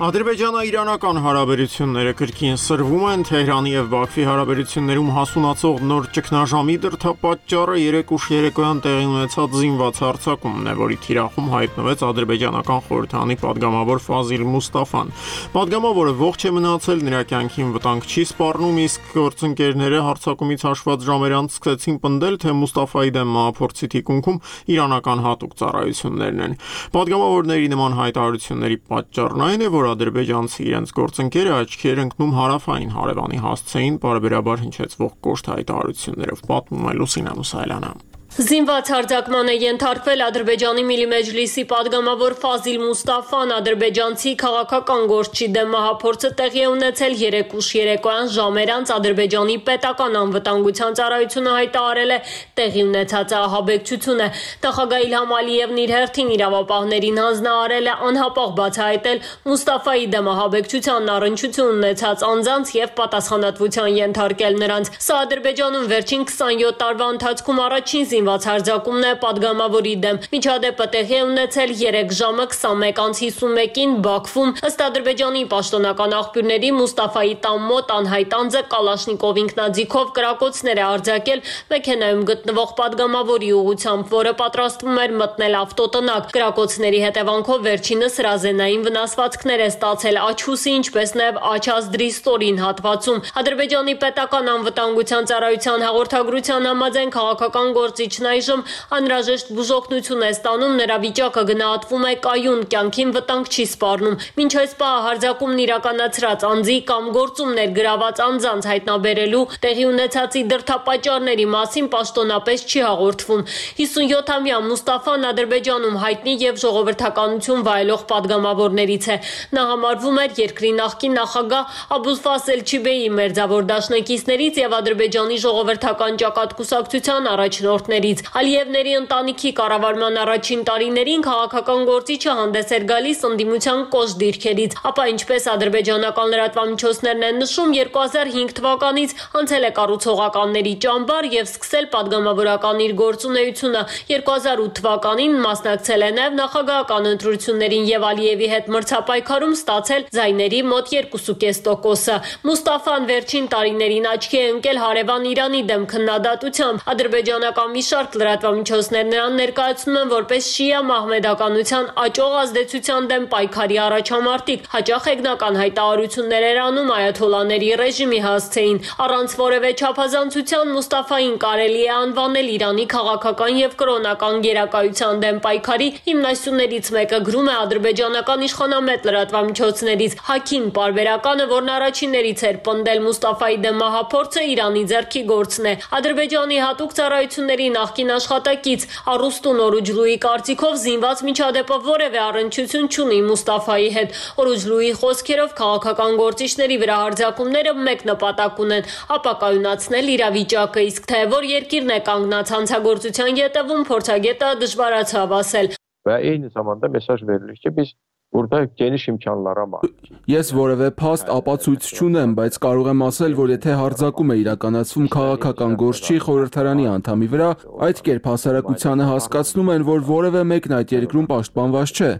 Ադրբեջանա-իրանական հարաբերությունները կրկին սրվում են, Թեհրանի և Բաքվի հարաբերություններում հասունացող նոր ճգնաժամի դրդապատճառը երեկ ուշ երեկոյան տեղի ունեցած զինված հարձակումն է, որի թիրախում հայտնվեց ադրբեջանական խորհրդարանի պատգամավոր Ֆազիլ Մուստաֆան։ Պատգամավորը ողջ է մնացել, նրա կյանքին վտանգ չի սպառնում, իսկ գործընկերները հարձակումից հաշված ժամեր անց սկսեցին պնդել, թե Մուստաֆայի դեմ մահափորձի թիկունքում իրանական հատուկ ծառայություններն են։ Պատգամավորների նման հայտարարությունների պատճառն այն է, որ ադրբեջանցի իրենց գործընկերը աչքի էր ընկնում հարավային հարևանի հասցեին պարբերաբար հնչեցվող կոշտ հայտարարություններով, պատմում է Լուսինա Մուսայելյանը։ Զինված հարձակման է ենթարկվել Ադրբեջանի Միլի Մեջլիսի պատգամավոր Ֆազիլ Մուստաֆան, ադրբեջանցի քաղաքական գործչի դեմ մահափորձը տեղի է ունեցել երեկ ուշ երեկոյան ժամեր անց Ադրբեջանի պետական անվտանգության ծառայությունը հայտարարել է տեղի ունեցած ահաբեկչությունը։ Նախագահ Իլհամ Ալիևն իր հերթին իրավապահներին հանձնարարել է անհապաղ բացահայտել Մուստաֆայի դեմ ահաբեկչությանն առնչություն ունեցած անձանց եւ պատասխանատվության ենթարկել նրանց։ Սա Ադրբեջանում վերջին քսանյոթ տարվա ընթացքում առաջին զինված հարձակումն է պատգամավորի դեմ։ Միջադեպը տեղի է ունեցել երեք ժամը քսանմեկ անց հիսունմեկին Բաքվում, ըստ Ադրբեջանի պաշտոնական աղբյուրների Մուստաֆայի տան մոտ անհայտ անձը Կալաշնիկով ինքնաձիգով կրակոցներ է արձակել մեքենայում գտնվող պատգամավորի ուղղությամբ, որը պատրաստվում էր մտնել ավտոտնակ։ Կրակոցների հետևանքով վերջինս հրազենային վնասվածքներ է ստացել աչհուսի, ինչպես նաև աչազդրի ստորին հատվածում։ Ադրբեջանի պետական անվտանգության ծառայության հաղորդագրության համաձայն քաղաքական գործիչն այժմ անհրաժեշտ բուժօգնություն է ստանում, նրա վիճակը գնահատվում է կայուն, կյանքին վտանգ չի սպառնում։ Մինչ այս պահը հարձակումն իրականացրած անձի կամ գործումներ գրաված անձանց հայտնաբերելու տեղի ունեցածի դրդապատճառների մասին պաշտոնապես չի հաղորդվում։ հիսունյոթամյա Մուստաֆան Ադրբեջանում հայտնի եւ ժողովրդականություն վայելող պատգամավորներից է։ Նա համարվում էր երկրի նախկին նախագահ Աբուլֆազլ Չիբեի մերձավոր դաշնակիցներից եւ Ադրբեջանի ժողովրդական ճակատկուսակցության առաջնորդներից։ Ալիևների ընտանիքի կառավարման առաջին տարիներին քաղաքական գործիչը հանդես էր գալիս ընդդիմության կոշտ դիրքերից, ապա ինչպես ադրբեջանական լրատվամիջոցներն են նշում, երկու հազար հինգ թվականից անցել է կառուցողականների ճամբար եւ սկսել պատգամավորական իր գործունեությունը։ երկու հազար ութ թվականին մասնակցել է նաեւ նախագահական ընտրություններին եւ Ալիևի հետ մրցապայքարում ստացել ձայների մոտ երկու կես տոկոսը։ Մուստաֆան վերջին տարիներին աչքի է ընկել հարևան Իրանի դեմ քննադատությամբ։ Ադրբեջանական մի շարք լրատվամիջոցներ նրան ներկայացնում են որպես շիա մահմեդականության աճող ազդեցության դեմ պայքարի առաջամարտիկ, հաճախ հեգնական հայտարարություններ էր անում այաթոլաների ռեժիմի հասցեին։ Առանց որևէ չափազանցության Մուստաֆային կարելի է անվանել Իրանի քաղաքական եւ կրոնական գերակայության դեմ պայքարի հիմնասյուներից մեկը, գրում է ադրբեջանական իշխանամետ լրատվամիջոցներից։ Հաքին պարբերականը, որն առաջիններից էր պնդել Մուստաֆայի դեմ մահափորձը, Իրանի ձեռքի գործն է։ Ադրբեջանի հատուկ ծառայությունների նախկին աշխատակից Արուստուն Օրուջլուի կարծիքով զինված միջադեպը որևէ առնչություն չունի Մուստաֆայի հետ։ Օրուջլուի խոսքերով քաղաքական գործիչների վրա հարձակումները մեկ նպատակ ունեն՝ ապակայունացնել իրավիճակը, իսկ թե որ երկիրն է կանգնած հանցագործության ետևում, փորձագետը դժվարացավ ասել։ Və eyni zamanda mesaj verilir ki, biz burada geniş imkanlara malik. Ես որևէ փաստ ապացույց չունեմ, բայց կարող եմ ասել, որ եթե հարձակում է իրականացվում քաղաքական գործչի խորհրդարանի անդամի վրա, այդ կերպ հասարակությանը հասկացնում են, որ որևէ մեկն այդ երկրում պաշտպանված չէ։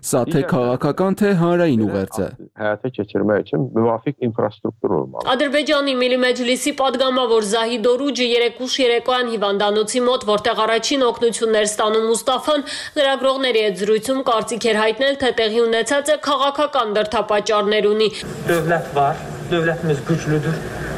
Սա թե քաղաքական, թե հանրային ուղերձ է։ Həyata keçirmək üçün müvafiq infrastruktur olmalı։ Ադրբեջանի Միլի Մեջլիսի պատգամավոր Զահիդ Օրուջը երեկ ուշ երեկոյան հիվանդանոցի մոտ, որտեղ առաջին օգնություններ ստանում Մուստաֆան, լրագրողների հետ զրույցում կարծիք էր հայտնել, թե տեղի ունեցածը քաղաքական դրդապատճառներ ունի։ Dövlət var, dövlətimiz güclüdür.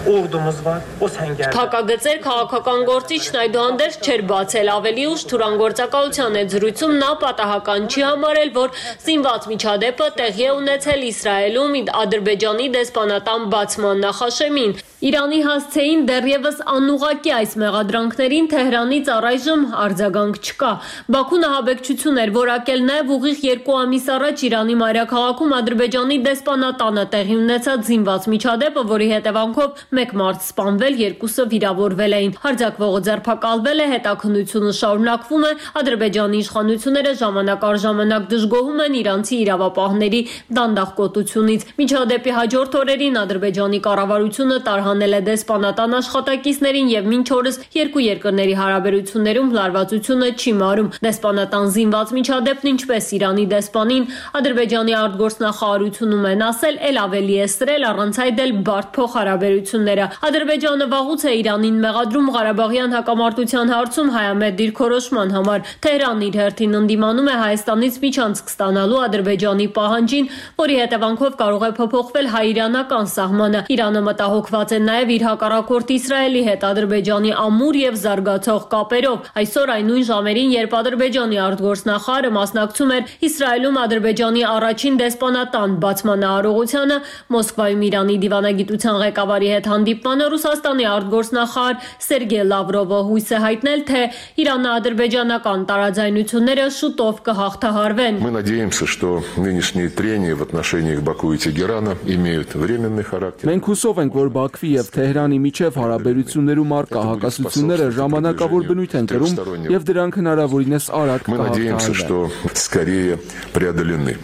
ordumuz var. O səngərdə. Փակագծեր քաղաքական գործիչն այդուհանդերձ չէր բացել, ավելի ուշ թուրանգործակալության այդ զրույցում նա պատահական չի համարել, որ զինված միջադեպը տեղի է ունեցել Իսրայելում Ադրբեջանի դեսպանատան բացման նախաշեմին։ Իրանի հասցեին դեռևս անուղղակի այս մեղադրանքներին Թեհրանից առայժմ արձագանք չկա։ Բաքուն ահաբեկչություն էր որակել նաև ուղիղ երկու ամիս առաջ Իրանի մայրաքաղաքում Ադրբեջանի դեսպանատանը տեղի ունեցած զինված միջադեպը, որի հետևանքով մեկ մարդ սպանվել, երկուսը վիրավորվել էին։ Հարձակվողը ձերբակալվել է, հետաքննությունը շարունակվում է։ Ադրբեջանի իշխանությունները ժամանակ առ ժամանակ դժգոհում են իրանցի իրավապահների դանդաղկոտությունից։ Միջադեպի հաջորդ օրերին Ադրբեջանի կառավարությունը տարհանել է դեսպանատան աշխատակիցներին եւ մինչ օրս երկու երկրների հարաբերություններում լարվածությունը չի մարում։ Դեսպանատան զինված միջադեպն ինչպես Իրանի դեսպանին Ադրբեջանի արտգործնախարարությունում են ասել, ել ավելի է սրել, առանց այդ էլ բարդ փոխհարաբերությունները։ Ադրբեջանը վաղուց է Իրանին մեղադրում Ղարաբաղյան հակամարտության հարցում հայամետ դիրքորոշման համար։ Թեհրանն իր հերթին ընդդիմանում է Հայաստանից միջանցք ստանալու Ադրբեջանի պահանջին, որի հետևանքով կարող է փոփոխվել հայ-իրանական սահմանը։ Իրանը մտահոգված է նաև իր հակառակորդ Իսրայելի հետ Ադրբեջանի ամուր եւ զարգացող կապերով։ Այսօր այն նույն ժամերին, երբ Ադրբեջանի արտգործնախարարը մասնակցում էր Իսրայելում Ադրբեջանի առաջին դեսպանատան բացման արարողությանը, Մոսկվայում Իրանի դիվանագիտության ղեկավարի հետ հանդիպմանը Ռուսաստանի արտգործնախարար Սերգեյ Լավրովը հույս է հայտնել, թե Իրано-ադրբեջանական տարաձայնությունները շուտով կհաղթահարվեն։ Мы надеемся, что нынешние трения в отношениях Баку и Тегерана имеют временный характер. Մենք հուսով ենք, որ Բաքվի եւ Թեհրանի միջև հարաբերություններում առկա հակասությունները ժամանակավոր բնույթ են կրում եւ դրանք հնարավորինս արագ Мы надеемся, что скорее преодолены.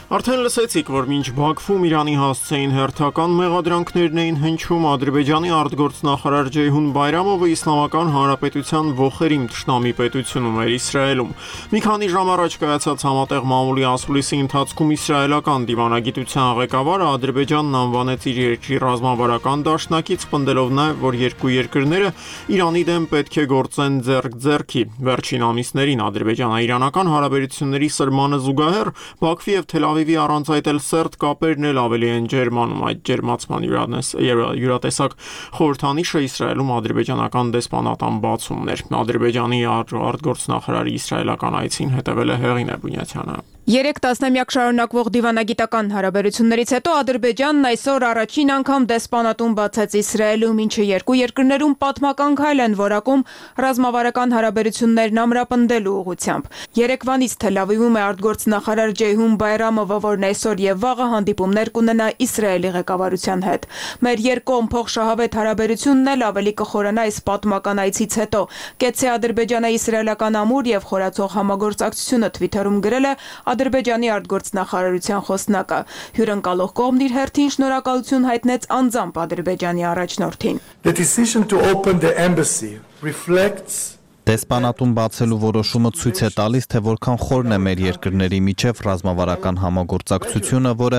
Արդեն լսեցիք, որ մինչ Բաքվում Իրանի հասցեին հերթական մեղադրանքներն էին հնչում, Ադրբեջանի արտգործնախարար Ջեյհուն Բայրամովը Իսլամական Հանրապետության ոխերիմ թշնամի պետությունում էր Իսրայելում։ Մի քանի ժամ առաջ կայացած համատեղ մամուլի ասուլիսի ընթացքում իսրայելական դիվանագիտության ղեկավարը Ադրբեջանն անվանեց իր երկրի ռազմավարական դաշնակից, պնդելով նաև, որ երկու երկրները Իրանի դեմ պետք է գործեն ձեռք-ձեռքի։ Վերջին ամիսներին ադրբեջանա-իրանական հարաբերությունների սրմանը զուգահեռ Բաքվի եւ Թել Ավիվի առանց այդ էլ սերտ կապերն էլ ավելի են ջերմանում։ Այդ ջերմացման յուրատեսակ խորհրդանիշը Իսրայելում ադրբեջանական դեսպանատան բացումն էր։ Ադրբեջանի արտգործնախարարի իսրայելական այցին հետևել է Հեղինե Բունյաթյանը։ Երեք տասնամյակ շարունակվող դիվանագիտական հարաբերություններից հետո Ադրբեջանն այսօր առաջին անգամ դեսպանատուն բացեց Իսրայելում, ինչը երկու երկրներում պատմական քայլ են որակում ռազմավարական հարաբերություններն ամրապնդելու ուղղությամբ։ Երեկվանից Թել Ավիվում է արտգործնախարար Ջեյհուն Բայրամովը, որն այսօր եւ վաղը հանդիպումներ կունենա Իսրայելի ղեկավարության հետ։ Մեր երկկողմ փոխշահավետ հարաբերությունն էլ ավելի կխորանա այս պատմական այցից հետո։ Կեցցե Ադրբեջանը իսրայելական ամուր եւ խորացող համագործակցությունը Twitter-ում գրել է Ադրբեջանի արտգործնախարարության խոսնակը։ Հյուրընկալող կողմն իր հերթին շնորհակալություն հայտնեց անձամբ Ադրբեջանի առաջնորդին։ The decision to open the embassy reflects Դեսպանատուն բացելու որոշումը ցույց է տալիս, թե որքան խորն է մեր երկրների միջև ռազմավարական համագործակցությունը, որը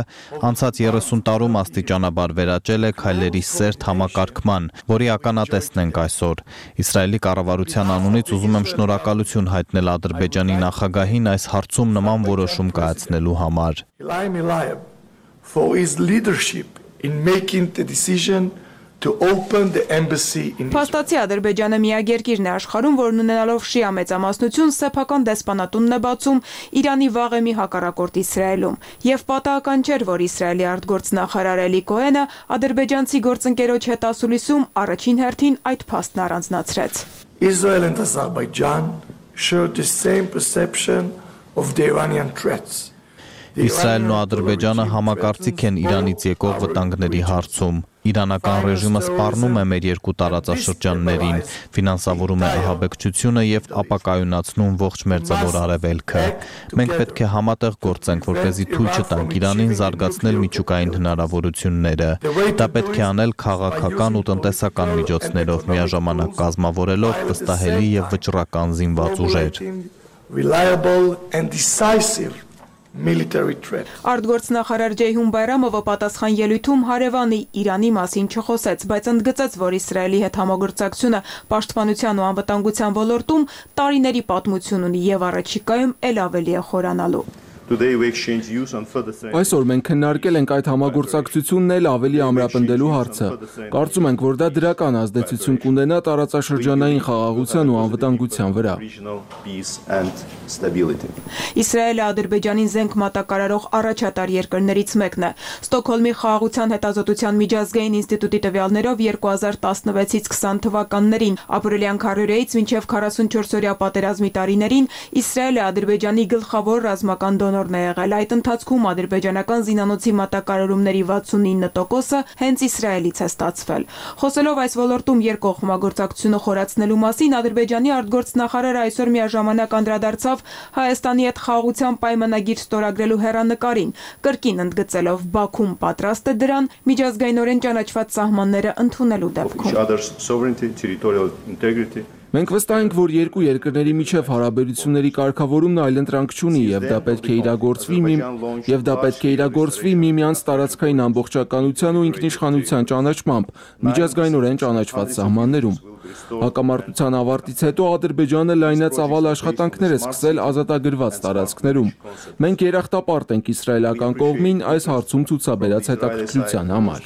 անցած երեսուն տարում աստիճանաբար վերաճել է քայլերի սերտ համակարգման, որի ականատեսն ենք այսօր։ Իսրայելի կառավարության անունից ուզում եմ շնորհակալություն հայտնել Ադրբեջանի նախագահին այս հարցում նման որոշում կայացնելու համար։ For his leadership in making the decision to open the embassy in Փաստացի Ադրբեջանը միակ երկիրն է աշխարհում, որն ունենալով շիա մեծամասնություն սեփական դեսպանատունն է բացում Իրանի վաղեմի հակառակորդ Իսրայելում, եւ պատահական չէր, որ Իսրայելի արտգործնախարար Էլի Կոհենը ադրբեջանցի գործընկերոջ հետ ասուլիսում առաջին հերթին այդ փաստն առանձնացրեց։ Israel and Azerbaijan share the same perception of the Iranian threats. Իսրայելն ու Ադրբեջանը համակարծիք են Իրանից եկող վտանգների հարցում։ Իրանական ռեժիմը սպառնում է մեր երկու տարածաշրջաններին, ֆինանսավորում է ահաբեկչությունը եւ ապակայունացնում ողջ մերձավոր արևելքը։ Մենք պետք է համատեղ գործենք, որպեսզի թույլ չտանք Իրանին զարգացնել միջուկային հնարավորությունները։ Դա պետք է անել քաղաքական ու տնտեսական միջոցներով, միաժամանակ կազմավորելով վստահելի եւ վճռական զինված ուժեր։ Reliable and decisive military threat. Արտգործնախարար Ջեյհուն Բայրամովը պատասխան ելույթում հարևանի Իրանի մասին չխոսեց, բայց ընդգծեց, որ Իսրայելի հետ համագործակցությունը պաշտպանության ու անվտանգության ոլորտում տարիների պատմություն ունի եւ առաջիկայում ել ավելի է խորանալու։ Այսօր մենք քննարկել ենք այդ համագործակցությունն էլ ավելի ամրապնդելու հարցը։ Կարծում ենք, որ դա դրական ազդեցություն կունենա տարածաշրջանային խաղաղության ու անվտանգության վրա։ Իսրայելը Ադրբեջանին զենք մատակարարող առաջատար երկրներից մեկն է։ Ստոկհոլմի խաղաղության հետազոտության միջազգային ինստիտուտի տվյալներով երկու հազար տասնվեցից քսան թվականներին ապրիլյան քառորեից մինչև քառասունչորսօրյա պատերազմի տարիներին Իսրայելը Ադրբեջանի գլխավոր ռազմական դոնորն է եղել։ Այդ ընթացքում ադրբեջանական զինանոցի մատակարարումների վաթսունինը տոկոսը հենց Իսրայելից է ստացվել։ Խոսելով այս ոլորտում երկկողմ համագործակցությունը խորացնելու մասին, Ադրբեջանի արտգործնախարարը այսօր միաժամանակ անդրադարձավ Հայաստանի հետ խաղաղության պայմանագիր ստորագրելու հեռանկարին, կրկին ընդգծելով Բաքուն պատրաստ է դրան միջազգայինորեն ճանաչված սահմանները ընդունելու դեպքում։ Մենք վստահ ենք, որ երկու երկրների միջև հարաբերությունների կարգավորումն այլընտրանք չունի եւ դա պետք է իրագործվի մի եւ դա պետք է իրագործվի միմյանց տարածքային ամբողջականության ու ինքնիշխանության ճանաչմամբ միջազգայինորեն ճանաչված սահմաններում։ Հակամարտության ավարտից հետո Ադրբեջանը լայնածավալ աշխատանքներ է սկսել ազատագրված տարածքներում։ Մենք երախտապարտ ենք իսրայելական կողմին այս հարցում ցուցաբերած հետաքրքրության համար։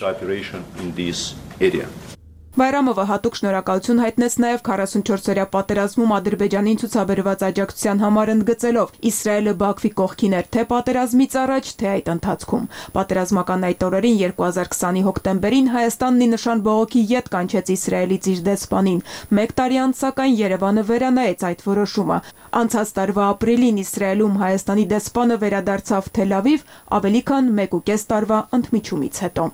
Բայրամովը հատուկ շնորհակալություն հայտնեց նաև քառասունչորսօրյա պատերազմում Ադրբեջանին ցուցաբերված աջակցության համար, ընդգծելով Իսրայելը Բաքվի կողքին էր թե պատերազմից առաջ, թե այդ ընթացքում։ Պատերազմական այդ օրերին երկու հազար քսանի հոկտեմբերին Հայաստանն ի նշան բողոքի ետ կանչեց Իսրայելից իր դեսպանին։ Մեկ տարի անց սակայն Երևանը վերանայեց այդ որոշումը։ Անցած տարվա ապրիլին Իսրայելում Հայաստանի դեսպանը վերադարձավ Թել Ավիվ ավելի քան մեկուկես տարվա ընդմիջումից հետո։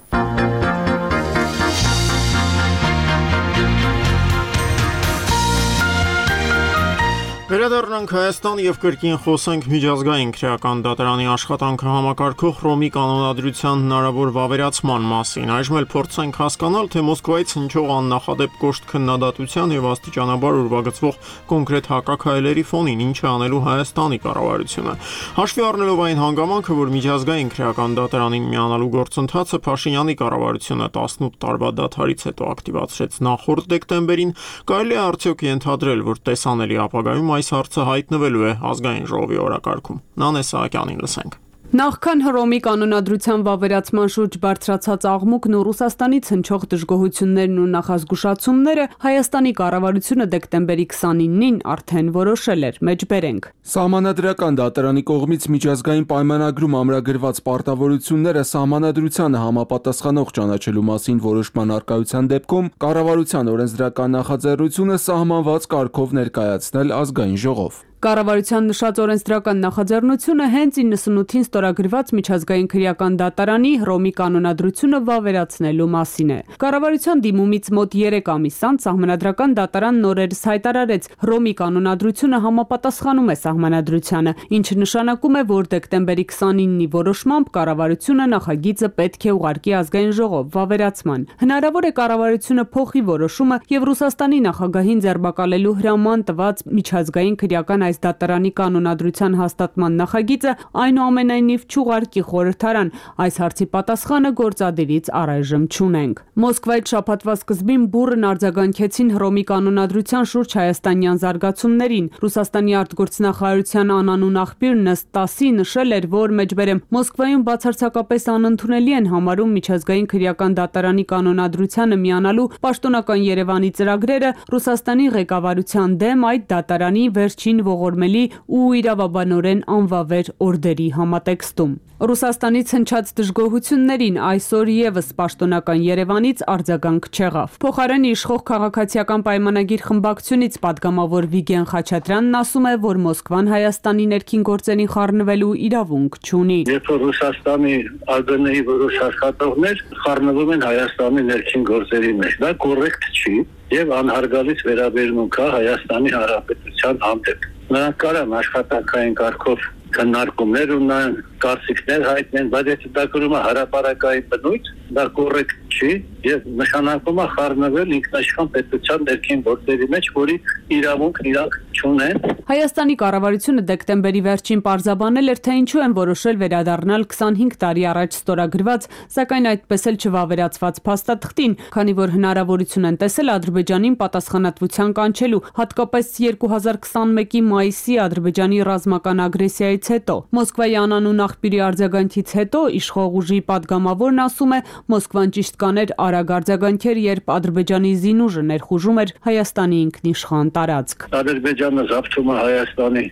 Վերադառնանք Հայաստան եւ կրկին խոսենք միջազգային քրեական դատարանի աշխատանքը համակարգող Հռոմի կանոնադրության հնարավոր վավերացման մասին։ Այժմ էլ փորձենք հասկանալ, թե Մոսկվայից հնչող աննախադեպ կոշտ քննադատության եւ աստիճանաբար ուրվագծվող կոնկրետ հակաքայլերի ֆոնին ինչ է անելու Հայաստանի կառավարությունը։ Հաշվի առնելով այն հանգամանքը, որ միջազգային քրեական դատարանին միանալու գործընթացը Փաշինյանի կառավարությունը տասնութ տարվա դադարից հետո ակտիվացրեց նախորդ դեկտեմբերին, կարելի է արդյոք ենթադրել, որ տեսանելի ապագայում այս հարցը հայտնվելու է ազգային ժողովի օրակարգում։ Նանե Սահակյանին լսենք։ Նախքան Հռոմի կանոնադրության վավերացման շուրջ բարձրացած աղմուկն ու Ռուսաստանից հնչող դժգոհություններն ու նախազգուշացումները Հայաստանի կառավարությունը դեկտեմբերի քսանինին արդեն որոշել էր, մեջբերենք։ Սահմանադրական դատարանի կողմից միջազգային պայմանագրում ամրագրված պարտավորությունները սահմանադրությանը համապատասխանող ճանաչելու մասին որոշման առկայության դեպքում կառավարության օրենսդրական նախաձեռնությունը սահմանված կարգով ներկայացնել ազգային ժողով։ Կառավարության նշած օրենսդրական նախաձեռնությունը հենց իննսունութին ստորագրված միջազգային քրեական դատարանի Հռոմի կանոնադրությունը վավերացնելու մասին է։ Կառավարության դիմումից մոտ երեք ամիս անց Սահմանադրական դատարանն օրերս հայտարարեց Հռոմի կանոնադրությունը համապատասխանում է Սահմանադրությանը, ինչը նշանակում է, որ դեկտեմբերի քսանինի որոշմամբ կառավարությունը նախագիծը պետք է ուղարկի ազգային ժողով վավերացման։ Հնարավոր է կառավարությունը փոխի որոշումը եւ Ռուսաստանի նախագահին ձերբակալելու հրաման տված միջազգային քրեական այս դատարանի կանոնադրության հաստատման նախագիծը այնուամենայնիվ չուղարկի խորհրդարան։ Այս հարցի պատասխանը գործադիրից առայժմ չունենք։ Մոսկվայից շաբաթվա սկզբին բուռն արձագանքեցին Հռոմի կանոնադրության շուրջ հայաստանյան զարգացումներին։ Ռուսաստանի արտգործնախարարության անանուն աղբյուր Նստասի նշել էր, որ մեջբերեմ Մոսկվայում բացարձակապես անընդունելի են համարում միջազգային քրեական դատարանի կանոնադրությանը միանալու պաշտոնական Երևանի ծրագրերը Ռուսաստանի ղեկավարության դեմ այդ դատարանի վերջին ողորմելի ու իրավաբանորեն անվավեր օրդերի համատեքստում։ Ռուսաստանից հնչած դժգոհություններին այսօր եւս պաշտոնական Երևանից արձագանք չեղավ։ Փոխարեն իշխող քաղաքացիական պայմանագիր խմբակցությունից падգամավոր Վիգեն Խաչատրյանն ասում է, որ Մոսկվան Հայաստանի ներքին գործերին խառնվելու իրավունք չունի։ Երբ Ռուսաստանի ԱԳՆ-ի որոշ աշխատողներ խառնվում են Հայաստանի ներքին գործերի մեջ, դա կոռեկտ չի եւ անհարգալից վերաբերմունք է Հայաստանի Հանրապետության հանդեպ։ Նրանք կարան աշխատանքային կարգով քննարկումներ ունենան, կարծիքներ հայտնեն, բայց եթե դա կրում է հրապարակային բնույթ, դա կոռեկտ չի եւ նշանակում է խառնվել ինքնաշխան պետության ներքին գործերի մեջ, որի իրավունքն իրանք չունեն։ Հայաստանի կառավարությունը դեկտեմբերի վերջին պարզաբանել էր, թե ինչու են որոշել վերադառնալ քսանհինգ տարի առաջ ստորագրված, սակայն այդպես էլ չվավերացված փաստաթղթին, քանի որ հնարավորություն են տեսել Ադրբեջանին պատասխանատվության կանչելու, հատկապես երկու հազար քսանմեկի մայիսի Ադրբեջանի ռազմական ագրեսիայից հետո։ Մոսկվայի անանուն աղբյուրի արձագանքից հետո իշխող ուժի падգամավորն ասում է, Մոսկվան ճիշտ կաներ արագ արձագանքեր, երբ Ադրբեջանի զինուժը ներխուժում էր Հայաստանի ինքնիշխան տարածք։ Ադրբեջանը զավթում է Հայաստանի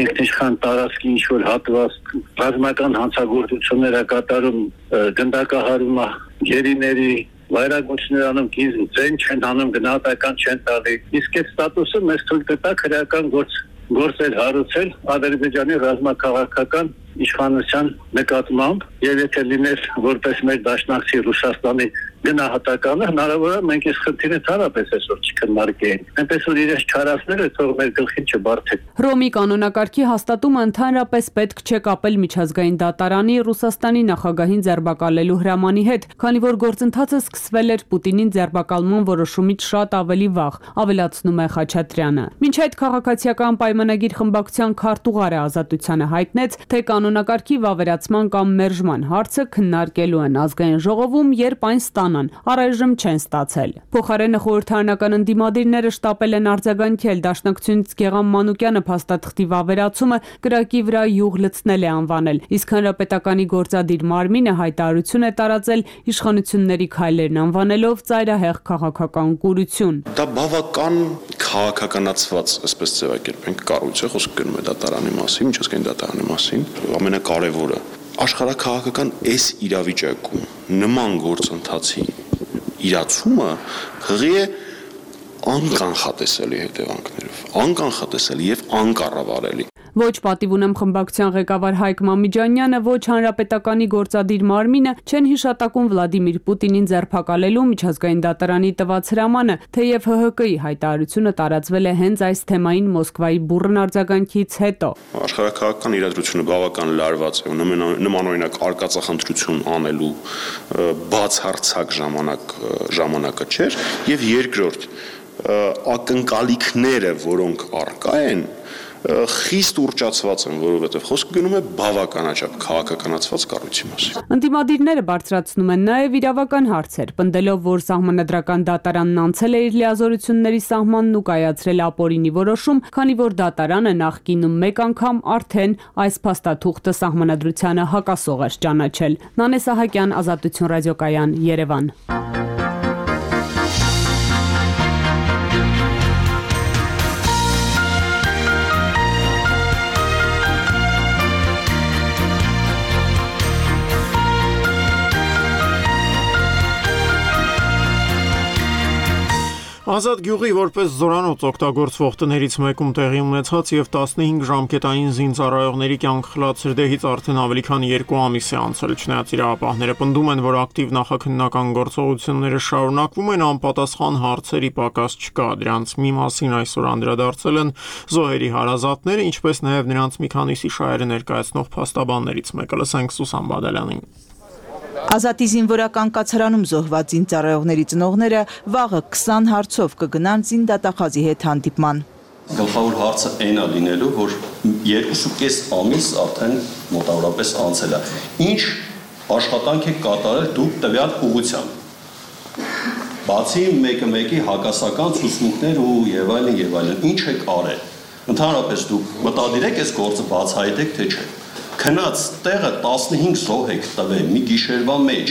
ինքնիշխան տարածքի ինչ-որ հատված, ռազմական հանցագործություններ է կատարում, գնդակահարում է գերիների, վայրագործներ անում, ձեն չեն անում, գնահատական չեն տալի։ Իսկ այդ ստատուսը մեզ թույլ կտա քրեական գործ գործեր հարուցել Ադրբեջանի ռազմաքաղաքական իշխանության նկատմամբ, եւ եթե լիներ որպես մեր դաշնակցի Ռուսաստանի գնահատականը, հնարավոր է մենք այս խնդիրը ցարապես այսօր չքննարկեինք։ Այնպես որ իրենց չարացները թող մեր գլխին չբարձեն։ Ռոմի կանոնակարգի հաստատումը ընդհանրապես պետք չէ կապել միջազգային դատարանի Ռուսաստանի նախագահին ձերբակալելու հրամանի հետ, քանի որ գործընթացը սկսվել էր Պուտինին ձերբակալման որոշումից շատ ավելի վաղ, ավելացնում է Խաչատրյանը։ Մինչ այդ քաղաքացիական պայմանագիր խմբակցության քարտուղարը Ազատությանը հայտնեց, թե կանոնակարգի վավերացման կամ մերժման հարցը քննարկելու են ազգային ժողովում, երբ այն ստանան, առայժմ չեն ստացել։ Փոխարենը խորհրդարանական ընդդիմադիրները շտապել են արձագանքել Դաշնակցությունից Գեղամ Մանուկյանը փաստաթղթի վավերացումը կրակի վրա յուղ լցնել է անվանել, իսկ Հանրապետականի գործադիր մարմինը հայտարարություն է տարածել իշխանությունների քայլերն անվանելով ծայրահեղ քաղաքական կուրություն։ Դա բավական քաղաքականացված, այսպես ձևակերպենք, կառույց է, խոսքը գնում է դատարանի մասին, միջազգային դատարանի մասին, ամենակարևորը աշխարհաքաղաքական այս իրավիճակում նման գործընթացի իրացումը հղի է անկանխատեսելի հետևանքներով, անկանխատեսելի եւ անկառավարելի։ Ոչ պատիվ ունեմ խմբակցության ղեկավար Հայկ Մամիջանյանը, ոչ Հանրապետականի գործադիր մարմինը չեն հիշատակում Վլադիմիր Պուտինին ձերբակալելու միջազգային դատարանի տված հրամանը, թեև Հ Հ Կ-ի հայտարարությունը տարածվել է հենց այս թեմային Մոսկվայի բուռն արձագանքից հետո։ Աշխարհաքաղաքական իրադրությունը բավական լարված է, նմանօրինակ արկածախնդրություն անելու բացարձակ ժամանակ ժամանակը չէր, եւ երկրորդ ակնկալիքները, որոնք առկա են, խիստ ուռճացված են, որովհետև խոսքը գնում է բավականաչափ քաղաքականացված կառույցի մասին։ Ընդդիմադիրները բարձրացնում են նաև իրավական հարցեր, պնդելով, որ սահմանադրական դատարանն անցել է իր լիազորությունների սահմանն ու կայացրել ապօրինի որոշում, քանի որ դատարանը նախկինում մեկ անգամ արդեն այս փաստաթուղթը սահմանադրությանը հակասող էր ճանաչել։ Նանե Սահակյան, Ազատություն ռադիոկայան, Երևան։ Ազատ գյուղի որպես զորանոց օգտագործվող տներից մեկում տեղի ունեցած եւ տասնհինգ ժամկետային զինծառայողների կյանք խլած սրդեհից արդեն ավելի քան երկու ամիս է անցել, չնայած իրավապահները պնդում են, որ ակտիվ նախաքննական գործողությունները շարունակվում են, անպատասխան հարցերի պակաս չկա, դրանց մի մասին այսօր անդրադարձել են զոհերի հարազատները, ինչպես նաեւ նրանց մի քանիսի շահերը ներկայացնող փաստաբաններից մեկը, լսենք Սուսան Բադալյանին։ Ազատի զինվորական կացարանում զոհված զինծառայողների ծնողները վաղը քսան հարցով կգնան զինդատախազի հետ հանդիպման։ Գլխավոր հարցը այն է լինելու, որ երկուսուկես ամիս արդեն մոտավորապես անցել է։ Ինչ աշխատանք եք կատարել դուք տվյալ ուղղությամբ։ Բացի մեկը մեկի հակասական ցուցմունքներ ու եւ այլն եւ այլն, ինչ եք արել։ Ընդհանրապես դուք մտադիր եք այս գործը բացահայտեք, թե չէ։ Քնած տեղը տասնհինգ զոհ եք տվել մի գիշերվա մեջ։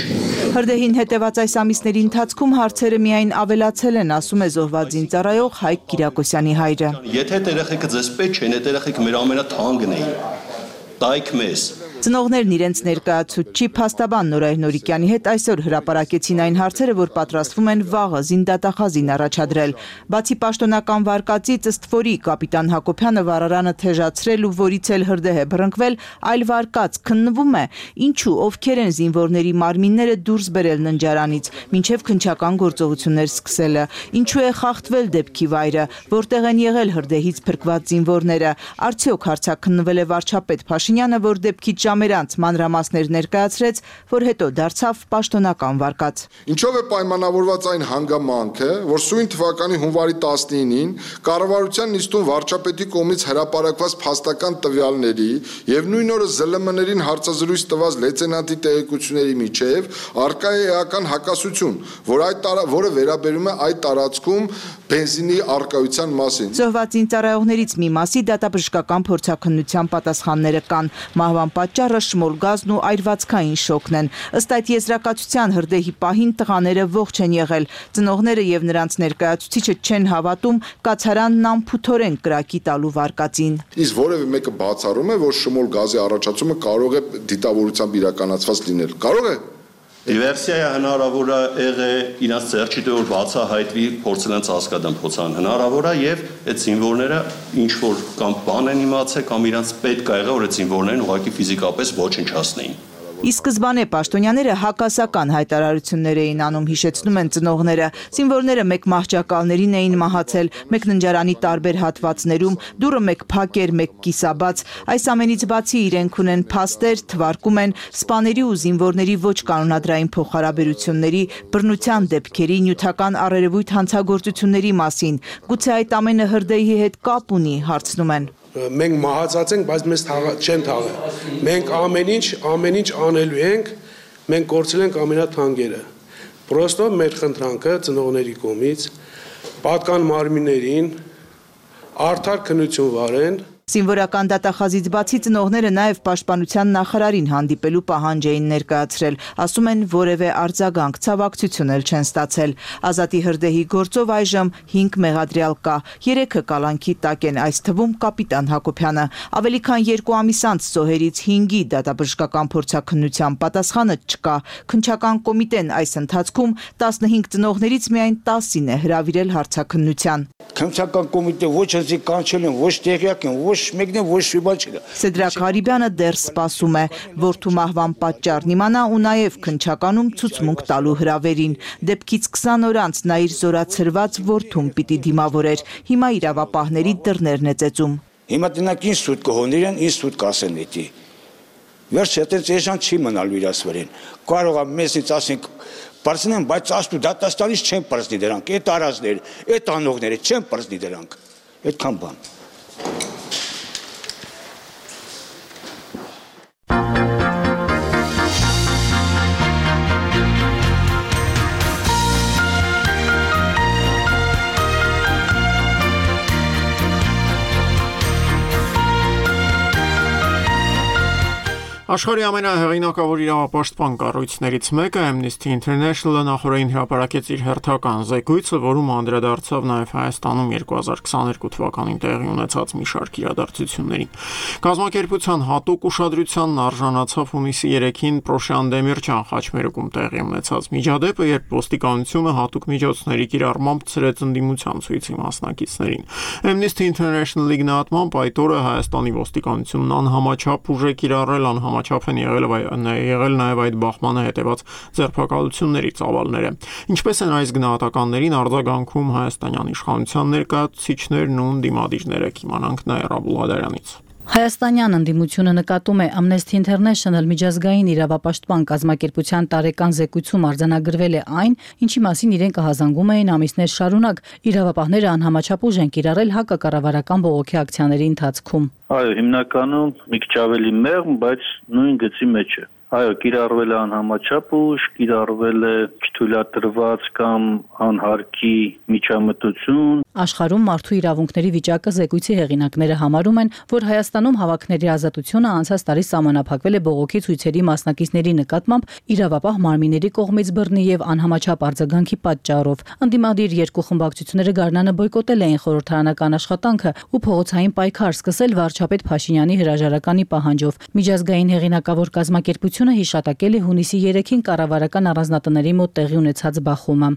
Հրդեհին հետևած այս ամիսների ընթացքում հարցերը միայն ավելացել են, ասում է զոհված զինծառայող Հայկ Կիրակոսյանի հայրը։ Եթե այդ երեխեքը ձեզ պետք չեն, այդ երեխեքը մեր ամենաթանկն էին։ Տայք մեզ։ Ծնողներն իրենց ներկայացուցչի փաստաբան Նորայր Նորիկյանի հետ այսօր հրապարակեցին այն հարցերը, որ պատրաստվում են վաղը զինդատախազին առաջադրել։ Բացի պաշտոնական վարկածից ըստ որի կապիտան Հակոբյանը վարարանը թեժացրել ու որից էլ հրդեհ է բռնկվել, այլ վարկած քննվում է, ինչու ովքեր են զինվորների մարմինները դուրս բերել ննջարանից, մինչև քննչական գործողություններ սկսելը, ինչու է խախտվել դեպքի վայրը, որտեղ են եղել հրդեհից փրկված զինվորները, արդյոք հարցաքննվել է վարչապետ Փաշինյանը, որ դեպքից ժամեր անց մանրամասներ ներկայացրեց, որ հետո դարձավ պաշտոնական վարկած։ Ինչով է պայմանավորված այն հանգամանքը, որ սույն թվականի հունվարի տասնինին կառավարության նիստում վարչապետի կողմից հրապարակված փաստական տվյալների եւ նույն օրը զլ էմ էն-ին հարցազրույց տված լեյտենանտի տեղեկությունների միջև արկա է էական հակասություն, որ այդ տարա, որը վերաբերում է այդ տարածքում բենզինի արկայության մասին։ Զոհված ինձարայողներից մի մասի դատաբժշկական փորձաքննության պատասխանները կան։ Մահվան պատճառը շմոլ գազն ու այրվածքային շոկն են։ Ըստ այդ եզրակացության հրդեհի պահին տղաները ողջ են եղել։ Ծնողները եւ նրանց ներկայացուցիչը չեն հավատում կացարանն անփութորեն կրակի տալու վարկածին։ Իսկ որևէ մեկը բացառում է, որ շմոլ գազի առաջացումը կարող է դիտավորությամբ իրականացված լինել։ Կարող է։ Դիվերսիա հնարավոր է եղե իրաց ծերճի դե որ բացահայտվի փորձել են հասկադան փոցան հնարավոր է եւ այդ զինվորները ինչ որ կամ բան են իմացել կամ իրաց պետք է եղե որ այդ զինվորներն ուղղակի ֆիզիկապես ոչնչացնեին։ Ի սկզբանե պաշտոնյաները հակասական հայտարարություններ էին անում, հիշեցնում են ծնողները։ Զինվորները մեկ մահճակալներին էին մահացել, մեկ ննջարանի տարբեր հատվածներում, դուռը մեկ փակ էր, մեկ կիսաբաց։ Այս ամենից բացի իրենք ունեն փաստեր, թվարկում են սպաների ու զինվորների ոչ կանոնադրային փոխհարաբերությունների, բռնության դեպքերի, նյութական առերևույթ հանցագործությունների մասին։ Գուցե այդ ամենը հրդեհի հետ կապ ունի, հարցնում են։ Մենք մահացած ենք, բայց մեզ չեն թաղել։ Մենք ամեն ինչ, ամեն ինչ անելու ենք, մենք կորցրել ենք ամենաթանկերը։ Պրոստո մեր խնդրանքը ծնողների կողմից պատկան մարմիններին արդար քննություն վարեն։ Զինվորական դատախազից բացի ծնողները նաև պաշտպանության նախարարին հանդիպելու պահանջ էին ներկայացրել, ասում են որևէ արձագանք, ցավակցություն էլ չեն ստացել։ Ազատի հրդեհի գործով այժմ հինգ մեղադրյալ կա, երեքը կալանքի տակ են, այս թվում կապիտան Հակոբյանը։ Ավելի քան երկու ամիս անց զոհերից հինգի դատաբժշկական փորձաքննության պատասխանը չկա։ Քննչական կոմիտեն այս ընթացքում տասնհինգ ծնողներից միայն տասին է հրավիրել հարցաքննության։ Քննչական կոմիտե ոչ հզի կանչել են, ոչ տեղյակ են, ոչ մեկն է, ոչ մի բան չկա։ Սեդրակ Հարիբյանը դեռ սպասում է, որդու մահվան պատճառն իմանա ու նաև քննչականում ցուցմունք տալու հրավերին։ Դեպքից քսան օր անց նա իր զորացրված որդուն պիտի դիմավորեր։ Հիմա իրավապահների դռներն է ծեծում։ Հիմա տնակ ինձ սուտ կհոներան, ինձ սուտ կասեն էտի։ Վերջ հետենց էժան չի մնալու իրաց վրեն։ Կարող է մեզից ասենք Պարզնեն, բայց աստու դատաստանից չեն պրծնի դրանք, այդ արածները, այդ անողները չեն պրծնի դրանք, այդքան բան։ Աշխարհի ամենահեղինակավոր իրավապաշտպան կառույցներից մեկը Amnesty International-ը նախորդին հրապարակեց իր հերթական զեկույցը, որում անդրադարձավ նաև Հայաստանում երկու հազար քսաներկու թվականին տեղի ունեցած մի շարք իրադարձություններին։ Կազմակերպության հատուկ ուշադրությանն արժանացավ հունիսի երեքին Պրոշյան Դեմիրճյան խաչմերուկում տեղի ունեցած միջադեպը, երբ ոստիկանությունը հատուկ միջոցների կիրառմամբ ցրեց ընդդիմության ցույցի մասնակիցներին։ Amnesty International-ի գնահատմամբ այդ օրը Հայաստանի ոստիկանությունն անհամաչափ ուժ է կիրառել անհամաչափ Չափ են եղել, եղել նաև այդ բախմանը հետևած ձերբակալությունների ծավալները։ Ինչպես են այս գնահատականներին արձագանքում հայաստանյան իշխանության ներկայացուցիչներն ու ընդդիմադիրները, կիմանանք Նաիրա Բուլղադարյանից։ Հայաստանյան ընդդիմությունը նկատում է Amnesty International միջազգային իրավապաշտպան կազմակերպության տարեկան զեկույցում արձանագրվել է այն, ինչի մասին իրենք կհազանգում էին ամիսներ շարունակ։ Իրավապահները անհամաչափ ուժ են կիրառել հակակառավարական բողոքի ակցիաների ընթացքում։ Այո, հիմնականում մի քիչ ավելի մեղմ, բայց նույն գծի մեջ է։ Այո, կիրառվել է անհամաչափ ուժ, կիրառվել է չթույլատրված կամ անհարկի միջամտություն։ Աշխարհում մարդու իրավունքների վիճակը զեկույցի հեղինակները համարում են, որ Հայաստանում հավաքների ազատությունը անցած տարի սահմանափակվել է բողոքի ցույցերի մասնակիցների նկատմամբ իրավապահ մարմինների կողմից բռնի եւ անհամաչափ արձագանքի պատճառով։ Ընդդիմադիր երկու խմբակցությունները գարնանը բոյկոտել էին խորհրդարանական աշխատանքը ու փողոցային պայքար սկսել վարչապետ Փաշինյանի հրաժարականի պահանջով։ Միջազգային հեղինակավոր կազմակերպությունը հիշատակել է հունիսի երեքին կառավարական առանձնատների մոտ տեղի ունեցած բախումը։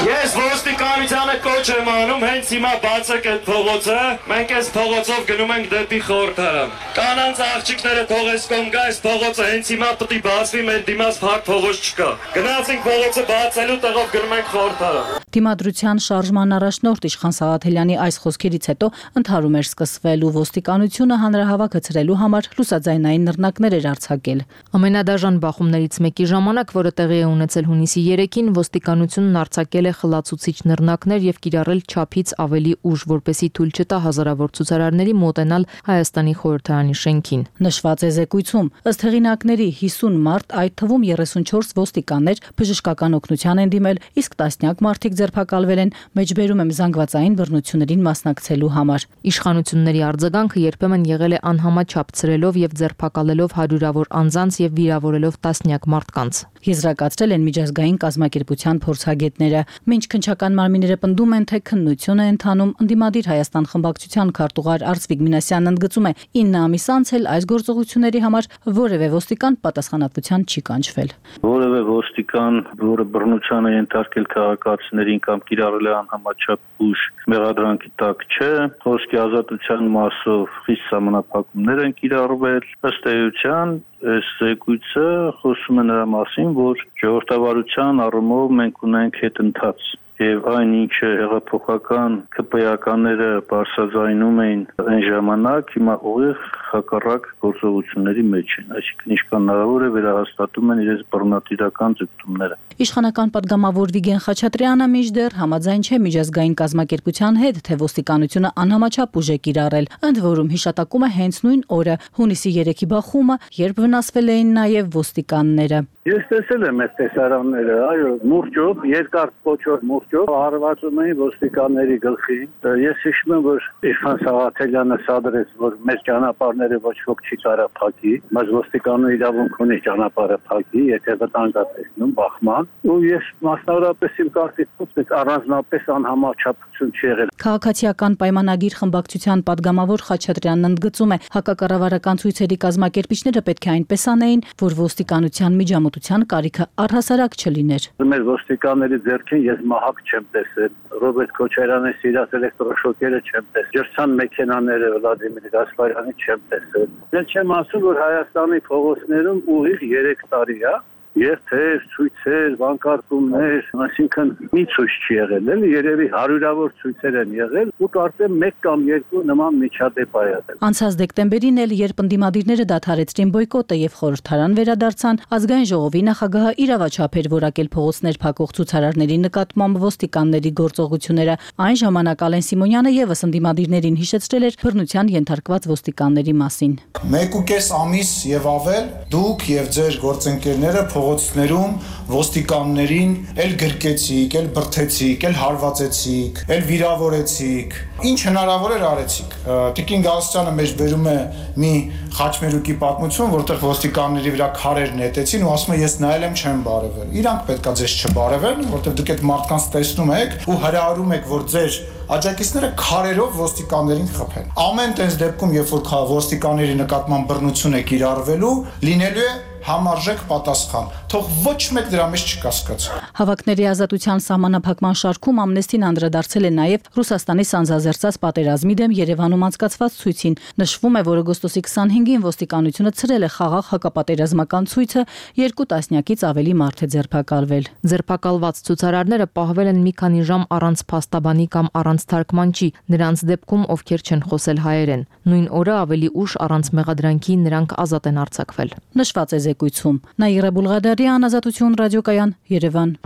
Ես ոստիկան Իշխանությանը կոչ եմ անում, հենց հիմա բացեք այդ փողոցը, մենք այս փողոցով գնում ենք դեպի խորհրդարան։ Կանանց աղջիկները թողես կողմ գա, այս փողոցը հենց հիմա պետք է բացվի, մեր դիմաց փակ փողոց չկա։ Գնացինք փողոցը բացելու տեղով գնում ենք խորհրդարան։ Դիմադրության շարժման առաջնորդ Իշխան Սաղաթելյանի այս խոսքերից հետո ընդհարում էր սկսվել ու ոստիկանությունը հանրահավաք հցրելու համար լուսաձայնային նռնակներ էր արձակել։ Ամենադաժան բախումներից մեկի ժամանակ, որը տեղի է ունեցել հունիսի երեքին, ոստիկանությունն արձակել է խլացուցիչ նռնակներ եւ կիրառել չափից ավելի ուժ, որպեսզի թույլ չտա հազարավոր ցուցարարների մոտենալ Հայաստանի խորհրդարանի շենքին։ Նշված է զեկույցում, ըստ հեղինակների հիսուն մարդ, այդ թվում երեսունչորս ոստիկաններ բժշկական օգնության են դիմել, իսկ տասնյակ մարդիկ ձերբակալվել են, մեջբերում եմ զանգվածային բռնություններին մասնակցելու համար։ Իշխանությունների արձագանքը երբեմն եղել է անհամաչափ ցրելով եւ ձերբակալելով հարյուրավոր անձանց եւ վիրավորելով տասնյակ մարդկանց։ Եզրակացրել են միջազգային կազմակերպության փորձագետները։ Մինչ քննչական մարմինները պնդում են, թե քննություն է ընթանում, ընդդիմադիր Հայաստան խմբակցության քարտուղար Արծվիկ Մինասյանն ընդգծում է, ինը ամիս անց էլ այս գործողությունների համար որևէ ոստիկան պատասխանատվության չի կանչվել։ Որևէ ոստիկան, որը բռնության է ենթարկել քաղաքացիներին կամ կիրառել է անհամաչափ ուժ, մեղադրանքի տակ չէ։ Խոսքի ազատության մասով խիստ սահմանափակումներ են կիրառվել։ Ըստ էության, այս զեկույցը խոսում է նրա մասին, որ ժողովրդավարության առումով մենք ունենք հետընթաց եւ այն ինչը հեղափոխական ԿՊԵ-ականները բարձրաձայնում էին այն ժամանակ, հիմա ուղիղ հակառակ գործողությունների մեջ են, այսինքն ինչքան հնարավոր է վերահաստատում են իրենց բռնատիրական ձգտումները։ Իշխանական падգամավոր Վիգեն Խաչատրյանը մինչդեռ համաձայն չէ միջազգային կազմակերպության հետ, թե ոստիկանությունը անհամաչափ ուժ է կիրառել, ընդ որում հիշատակում է հենց նույն օրը, հունիսի երեքի բախումը, երբ վնասվել էին նաև ոստիկանները։ Ես տեսել եմ այս տեսարանները, այո, մուրճով, երկար փոչով մուրճով հարվածում էին ոստիկանների գլխին։ Ես հիշում եմ, որ Իշխան Սաղաթելյանը սադրեց, որ մեր ճանապարհները ոչ ոք չի կարող փակի, բայց ոստիկանը իրավունք ունի ճանապարհը փակի, եթե վտանգ է տեսնում բախման։ Ու ես մասնավորապես իմ կարծիքով առանձնապես անհամաչափություն չի եղել։ Քաղաքացիական պայմանագիր խմբակցության падգամավոր Խաչատրյանն ընդգծում է, հակակառավարական ցույցերի կազմակերպիչները պետք է այնպես անեին, որ ոստիկանության միջամտության կարիքը առհասարակ չլիներ։ Մեր ոստիկանների ձեռքին ես մահակ չեմ տեսել, Ռոբերտ Քոչարյանի սիրած էլեկտրոշոկերը չեմ տեսել, ջրցան մեքենաները Վլադիմիր Գասպարյանի չեմ տեսել։ Ես չեմ ասում, որ Հայաստանի փողոցներում ուղիղ երեք տարի է երթեր, ցույցեր, վանկարկումներ, այսինքն մի ցույց չի եղել, էլի երևի հարյուրավոր ցույցեր են եղել ու կարծեմ մեկ կամ երկու նման միջադեպ ա եղել։ Անցած դեկտեմբերին էլ, երբ ընդդիմադիրները դադարեցրին բոյկոտը եւ խորհրդարան վերադարձան, ազգային ժողովի նախագահը իրավաչափ էր որակել փողոցներ փակող ցուցարարների նկատմամբ ոստիկանների գործողությունները։ Այն ժամանակ Ալեն Սիմոնյանը եւս ընդդիմադիրներին հիշեցրել էր բռնության ենթարկված ոստիկանների մասին։ Մեկ ու կես ամիս եւ ավել դուք եւ ձեր գործընկերները փողոցներում ոստիկաններին էլ գրկեցիք, էլ բրթեցիք, էլ հարվածեցիք, էլ վիրավորեցիք։ Ինչ հնարավոր էր արեցիք։ Տիկին Գալստյանը մեջ բերում է մի խաչմերուկի պատմություն, որտեղ ոստիկանների վրա քարեր նետեցին ու ասում է ես նայել եմ չեմ բարևել։ Իրանք պետքա ձեզ չբարևեն, որտեղ դուք այդ մարդկանց տեսնում եք ու հրահարում եք, որ ձեր աջակիցները քարերով ոստիկաններին խփեն։ Ամեն տես դեպքում, երբ որ ոստիկանների նկատմամբ բռնություն է կիրառվելու, լինելու է համարժեք պատասխան։ Թող ոչ մեկ դրա մեջ չկասկածի։ Հավաքների ազատության սահմանափակման շարքում Ամնեստին անդրադարձել է նաև Ռուսաստանի սանձազերծած պատերազմի դեմ Երևանում անցկացված ցույցին։ Նշվում է, որ օգոստոսի քսանհինգին ոստիկանությունը ցրել է խաղաղ հակապատերազմական ցույցը, երկու տասնյակից ավելի մարդ է ձերբակալվել։ Ձերբակալված ցուցարարները պահվել են մի քանի ժամ առանց փաստաբանի կամ առանց թարգմանչի, նրանց դեպքում ովքեր չեն խոսել հայերեն։ Նույն օրը ավելի ուշ առանց մեղադրանքի նրանք ազատ են արձակվել։ Նշված է զեկույցում։ Նաիրա Բուլղադարյան, Ազատություն ռադիոկայան, Երևան։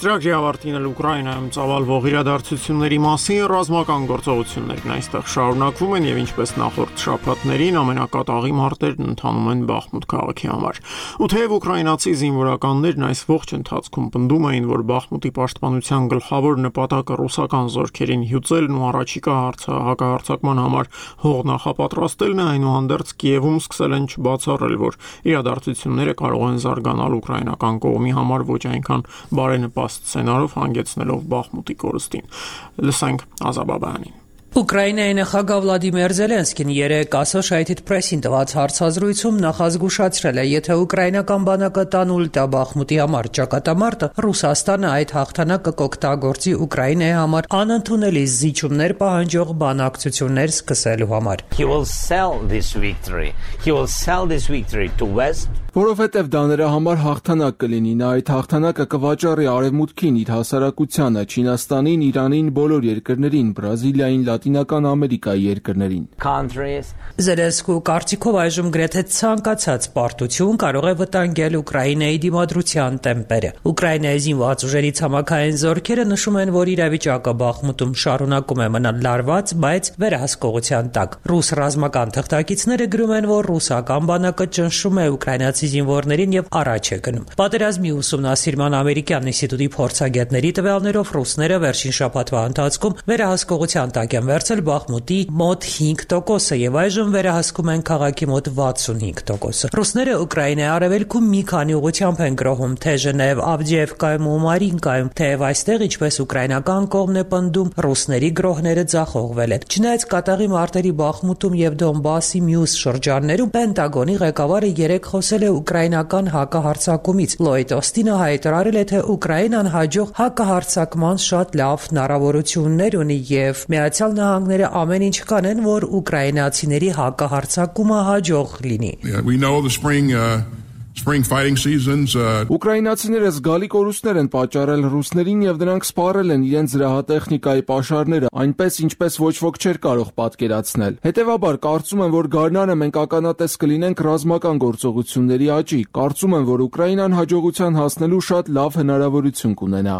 Ծրագրի ավարտին էլ Ուկրաինայում ծավալվող իրադարձությունների մասին ռազմական գործողություններն այստեղ շարունակվում են եւ ինչպես նախորդ շաբաթներին ամենակատաղի մարտերն ընթանում են Բախմուտ քաղաքի համար։ Ու թեև ուկրաինացի զինվորականներն այս ողջ ընթացքում պնդում էին, որ Բախմուտի պաշտպանության գլխավոր նպատակը ռուսական զորքերին հյուծելն ու առաջիկա հակահարձակման համար հող նախապատրաստելն է, այնուհանդերձ Կիևում սկսել են չբացառել, որ իրադարձությունները կարող են զարգանալ ուկրաինական կողմի համար ոչ այնքան բարենպաստ սցենարով հանգեցնելով Բախմուտի կորստին։ Լսենք Ազաբաբյանին։ Ուկրաինայի նախագահ Վլադիմիր Զելենսկին երեկ Associated Press-ին տված հարցազրույցում նախազգուշացրել է, եթե ուկրաինական բանակը տանուլ տա Բախմուտի համար ճակատամարտը, Ռուսաստանը այդ հաղթանակը կօգտագործի Ուկրաինայի համար անընդունելի զիջումներ պահանջող բանակցություններ սկսելու համար։ He will sell this victory. He will sell this victory to West. Որովհետև դա նրա համար հաղթանակ կլինի, նա այդ հաղթանակը կվաճառի Արևմուտքին, իր հասարակությանը, Չինաստանին, Իրանին, բոլոր երկրներին, Բրազիլիային, Լատինական Ամերիկայի երկրներին։ Զելենսկու կարծիքով այժմ գրեթե ցանկացած պարտություն կարող է վտանգել Ուկրաինայի դիմադրության տեմպերը։ Ուկրաինայի զինված ուժերի ցամաքային զորքերը նշում են, որ իրավիճակը Բախմուտում շարունակում է մնալ լարված, բայց վերահսկողության տակ։ Ռուս ռազմական թղթակիցները գրում են, որ ռուսական բանակը ճնշում է ուկրաինացի զինվորներին եւ առաջ է գնում։ Պատերազմի ուսումնասիրման ամերիկյան ինստիտուտի փորձագետների տվյալներով ռուսները վերջին շաբաթվա ընթացքում վերահսկողության տակ են վերցել Բախմուտի մոտ հինգ տոկոսը եւ այժմ վերահսկում են քաղաքի մոտ վաթսունհինգ տոկոսը։ Ռուսները Ուկրաինայի արևելքում մի քանի ուղղությամբ են գրոհում, թե Ժնև, Ավդիևկայում ու Մարինկայում, թեև այստեղ, ինչպես ուկրաինական կողմն է պնդում, ռուսների գրոհները ձախողվել են։ Չնայած կատաղի մարտերի Բախմուտում եւ Դոնբասի մյուս շրջաններում Պենտագոնի ղեկավարը երեկ խոսել է ուկրաինական հակահարձակումից։ Լոյդ Օստինը հայտարարել է, թե Ուկրաինան հաջող հակահարձակման շատ լավ հնարավորություններ ունի եւ Միացյալ Նահանգները ամեն ինչ կանեն, որ ուկրաինացիների հակահարձակումը հաջող լինի։ Yeah, we know the spring uh... Spring fighting seasons. Ուկրաինացիները զգալի կորուստներ են պատճառել ռուսներին եւ նրանք սպառել են իրենց զրահատեխնիկայի պաշարները, այնպես ինչպես ոչ ոք չէր կարող պատկերացնել։ Հետևաբար կարծում եմ, որ գարնանը մենք ականատես կլինենք ռազմական գործողությունների աճի։ Կարծում եմ, որ Ուկրաինան հաջողության հասնելու շատ լավ հնարավորություն կունենա։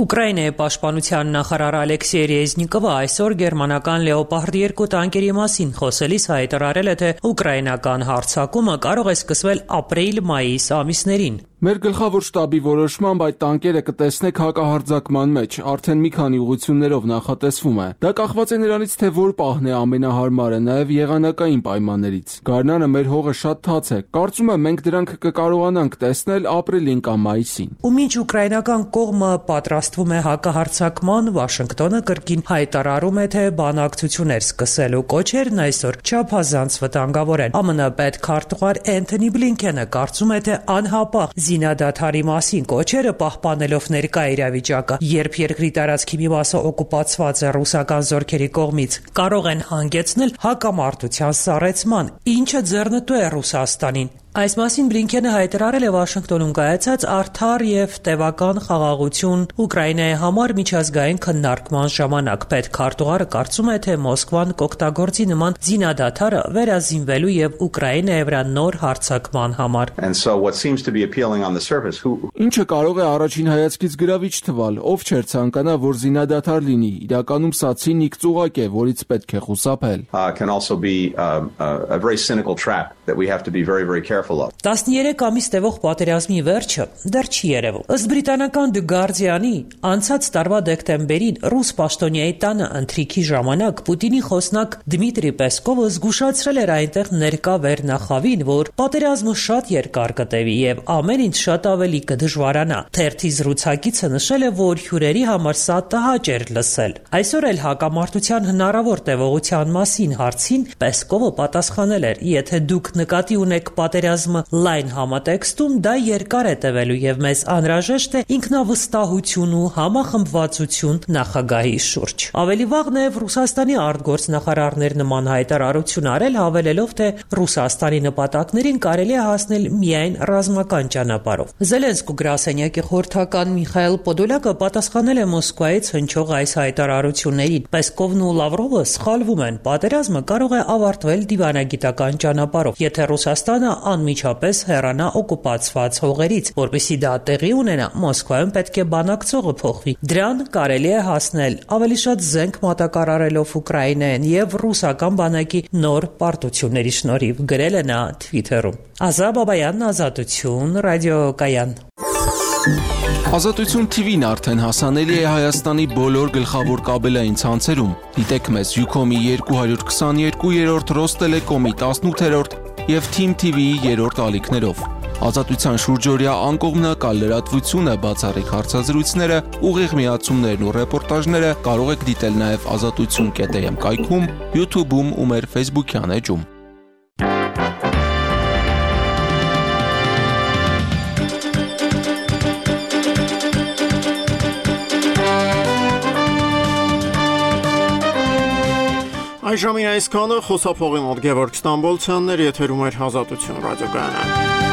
Ուկրաինայի պաշտպանության նախարար Ալեքսեյ Ռեզնիկովը այսօր գերմանական Լեոպարդ երկու տանկերի մասին խոսելիս հայտարարել է, թե ուկրաինական հարձակումը կարող է սկսվել ապրիլ-մայիս ամիսներին։ Մեր գլխավոր շտաբի որոշմամբ այդ տանկերը կտեսնեք հակահարձակման մեջ, արդեն մի քանի ուղղություններով նախատեսվում է։ Դա կախված է նրանից, թե որ պահն է ամենահարմարը, նաև եղանակային պայմաններից։ Գարնանը մեր հողը շատ թաց է։ Կարծում եմ մենք դրանք կկարողանանք տեսնել ապրիլին կամ մայիսին։ Ու մինչ ուկրաինական կողմը պատրաստվում է հակահարձակման, Վաշինգտոնը կրկին հայտարարում է, թե բանակցություններ սկսելու կոչերն այսօր չափազանց վտանգավոր են։ ԱՄՆ պետքարտուղար Էնթոնի Բլինքենը կարծում է, թե անհապաղ զինադադարի մասին կոչերը պահպանելով ներկա իրավիճակը, երբ երկրի տարածքի մի մասը օկուպացված է ռուսական զորքերի կողմից, կարող են հանգեցնել հակամարտության սառեցման, ինչը ձեռնտու է Ռուսաստանին։ Այս մասին Բլինքենը հայտարարել է Վաշինգտոնում կայացած արդար եւ տևական խաղաղություն Ուկրաինայի համար միջազգային քննարկման ժամանակ։ Պետքարտուղարը կարծում է, թե Մոսկվան կօգտագործի նման զինադադարը վերազինվելու եւ Ուկրաինայի վրա նոր հարձակման համար։ Ինչը կարող է առաջին հայացքից գրավիչ թվալ, ով չէր ցանկանա, որ զինադադար լինի։ Իրականում սա ցինիկ ծուղակ է, որից պետք է խուսափել։ տասներեք ամիս տևող պատերազմի վերջը դեռ չի երևում։ Ըստ բրիտանական The Guardian-ի, անցած տարվա դեկտեմբերին ռուս պաշտոնյայի տանը ընթրիքի ժամանակ Պուտինի խոսնակ Դմիտրի Պեսկովը զգուշացրել էր այնտեղ ներկա վերնախավին, որ պատերազմը շատ երկար կտևի եւ ամեն ինչ շատ ավելի կդժվարանա։ Թերթի զրուցակիցը նշել է, որ հյուրերի համար սա տհաճ էր լսել։ Այսօր էլ հակամարտության հնարավոր տևողության մասին հարցին Պեսկովը պատասխանել էր. եթե դուք նկատի ունեք պատերազմը լայն համատեքստում, դա երկար է տևելու եւ մեզ անհրաժեշտ է ինքնավստահություն ու համախմբվածություն նախագահի շուրջ։ Ավելի վաղ նաեւ Ռուսաստանի արտգործնախարարներ նման հայտարարություն արել, հավելելով, թե Ռուսաստանի նպատակներին կարելի է հասնել միայն ռազմական ճանապարհով։ Զելենսկու գրասենյակի խորհրդական Միխայել Պոդոլյակը պատասխանել է Մոսկվայից հնչող այս հայտարարություններին։ Պեսկովն ու Լավրովը սխալվում են, պատերազմը կարող է ավարտվել դիվանագիտական ճանապարհով, եթե Ռուսաստանը անմիջապես հեռանա օկուպացված հողերից, որպեսզի դա տեղի ունենա, Մոսկվայում պետք է բանակցողը փոխվի։ Դրան կարելի է հասնել ավելի շատ զենք մատակարարելով Ուկրաինային եւ ռուսական բանակի նոր պարտությունների շնորհիվ, գրել է նա Twitter-ում։ Ազա Բաբայան, Ազատություն, ռադիոկայան։ Ազատություն T V-ն արդեն հասանելի է Հայաստանի բոլոր գլխավոր կաբելային ցանցերում։ Դիտեք մեզ Ucom-ի երկու քսաներկու, Ռոստելեկոմի տասնութերորդ եւ Team T V-ի երրորդ ալիքներով։ Ազատության շուրջօրյա անկողմնակալ լրատվությունը, բացառիկ հարցազրույցները, ուղիղ միացումներն ու ռեպորտաժները կարող եք դիտել նաեւ ազատություն կետ am կայքում, YouTube-ում ու մեր Facebook-յան էջում։ Այժմին այսքանը, խոսափողի մոտ Գևորգ Ստամբոլցյանն էր, եթերում էր Ազատություն ռադիոկայանը։